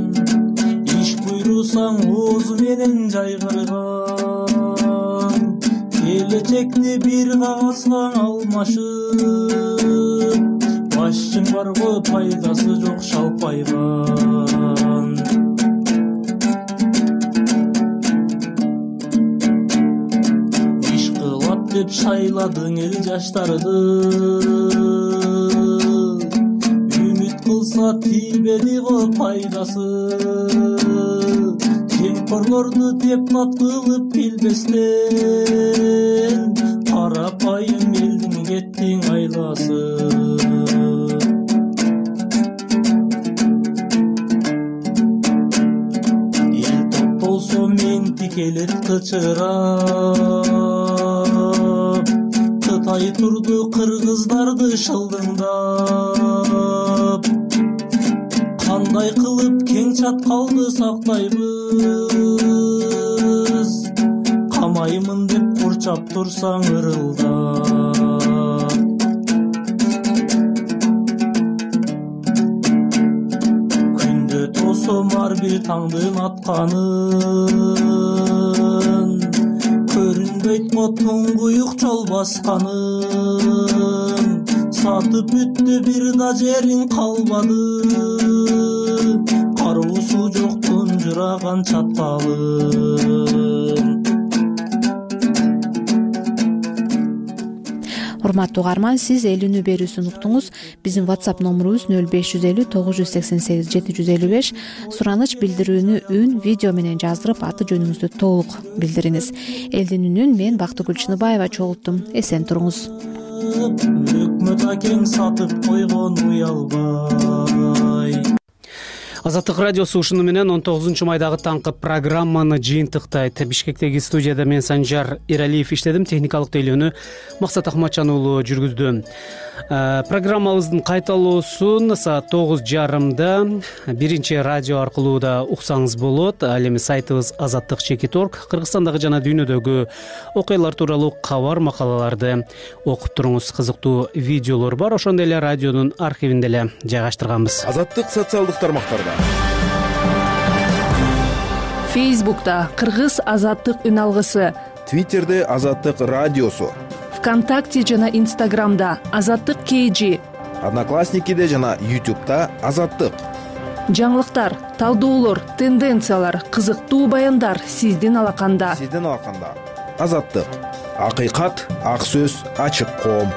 иш буйрусаң оозу менен жайгарган. Келечекти бир кагазга алмашып, башчың барго пайдасы жок шалпайган. Иш кылат деп шайладың эл жаштарды, үмүт кылса тийбеди го пайдасы. Жемкорлорду депутат кылып билбестен, карапайым элдин кеттиң айласы. Эл топтолсо мен тикелет кычырап, Кытай турду кыргыздарды шылдыңдап. Кандай кылып кең чаткалды сактайбыз, камаймын деп курчап турсаң ырылдап. Күндө тосом ар бир таңдын атканын, көрүнбөйт го туңгуюк жол басканын. Сатып бүттү бир да жериң калбады, кароосу жок тунжураган чаткалын. Урматтуу угарман, сиз эл үнү берүүсүн уктуңуз. Биздин WhatsApp номурубуз ноль беш жүз элүү тогуз жүз сексен сегиз жети жүз элүү беш. Сураныч билдирүүнү үн, видео менен жаздырып, аты жөнүңүздү толук билдириңиз. Элдин үнүн мен Бактыгүл Чыныбаева чогулттум. Эсен туруңуз. Өкмөт акең сатып койгон уялбай. Азаттык радиосу ушуну менен он тогузунчу майдагы таңкы программаны жыйынтыктайт. Бишкектеги студияда мен Санжар Эралиев иштедим, техникалык тейлөөнү Максат Акматжан уулу жүргүздү. Программабыздын кайталоосун саат тогуз жарымда биринчи радио аркылуу да уксаңыз болот. Ал эми сайтыбыз азаттык чекит точка орг Кыргызстандагы жана дүйнөдөгү окуялар тууралуу кабар макалаларды окуп туруңуз. Кызыктуу видеолор бар, ошондой эле радионун архивинде эле жайгаштырганбыз. Азаттык социалдык тармактарда. Фейсбукта Кыргыз азаттык үн алгысы, Твиттерде азаттык радиосу, ВКонтакте жана Инстаграмда азаттык кейжи, Одноклассникиде жана Ютубта азаттык. Жаңылыктар, талдоолор, тенденциялар, кызыктуу баяндар сиздин алаканда. Сиздин алаканда. Азаттык. Акыйкат, ак сөз, ачык коом.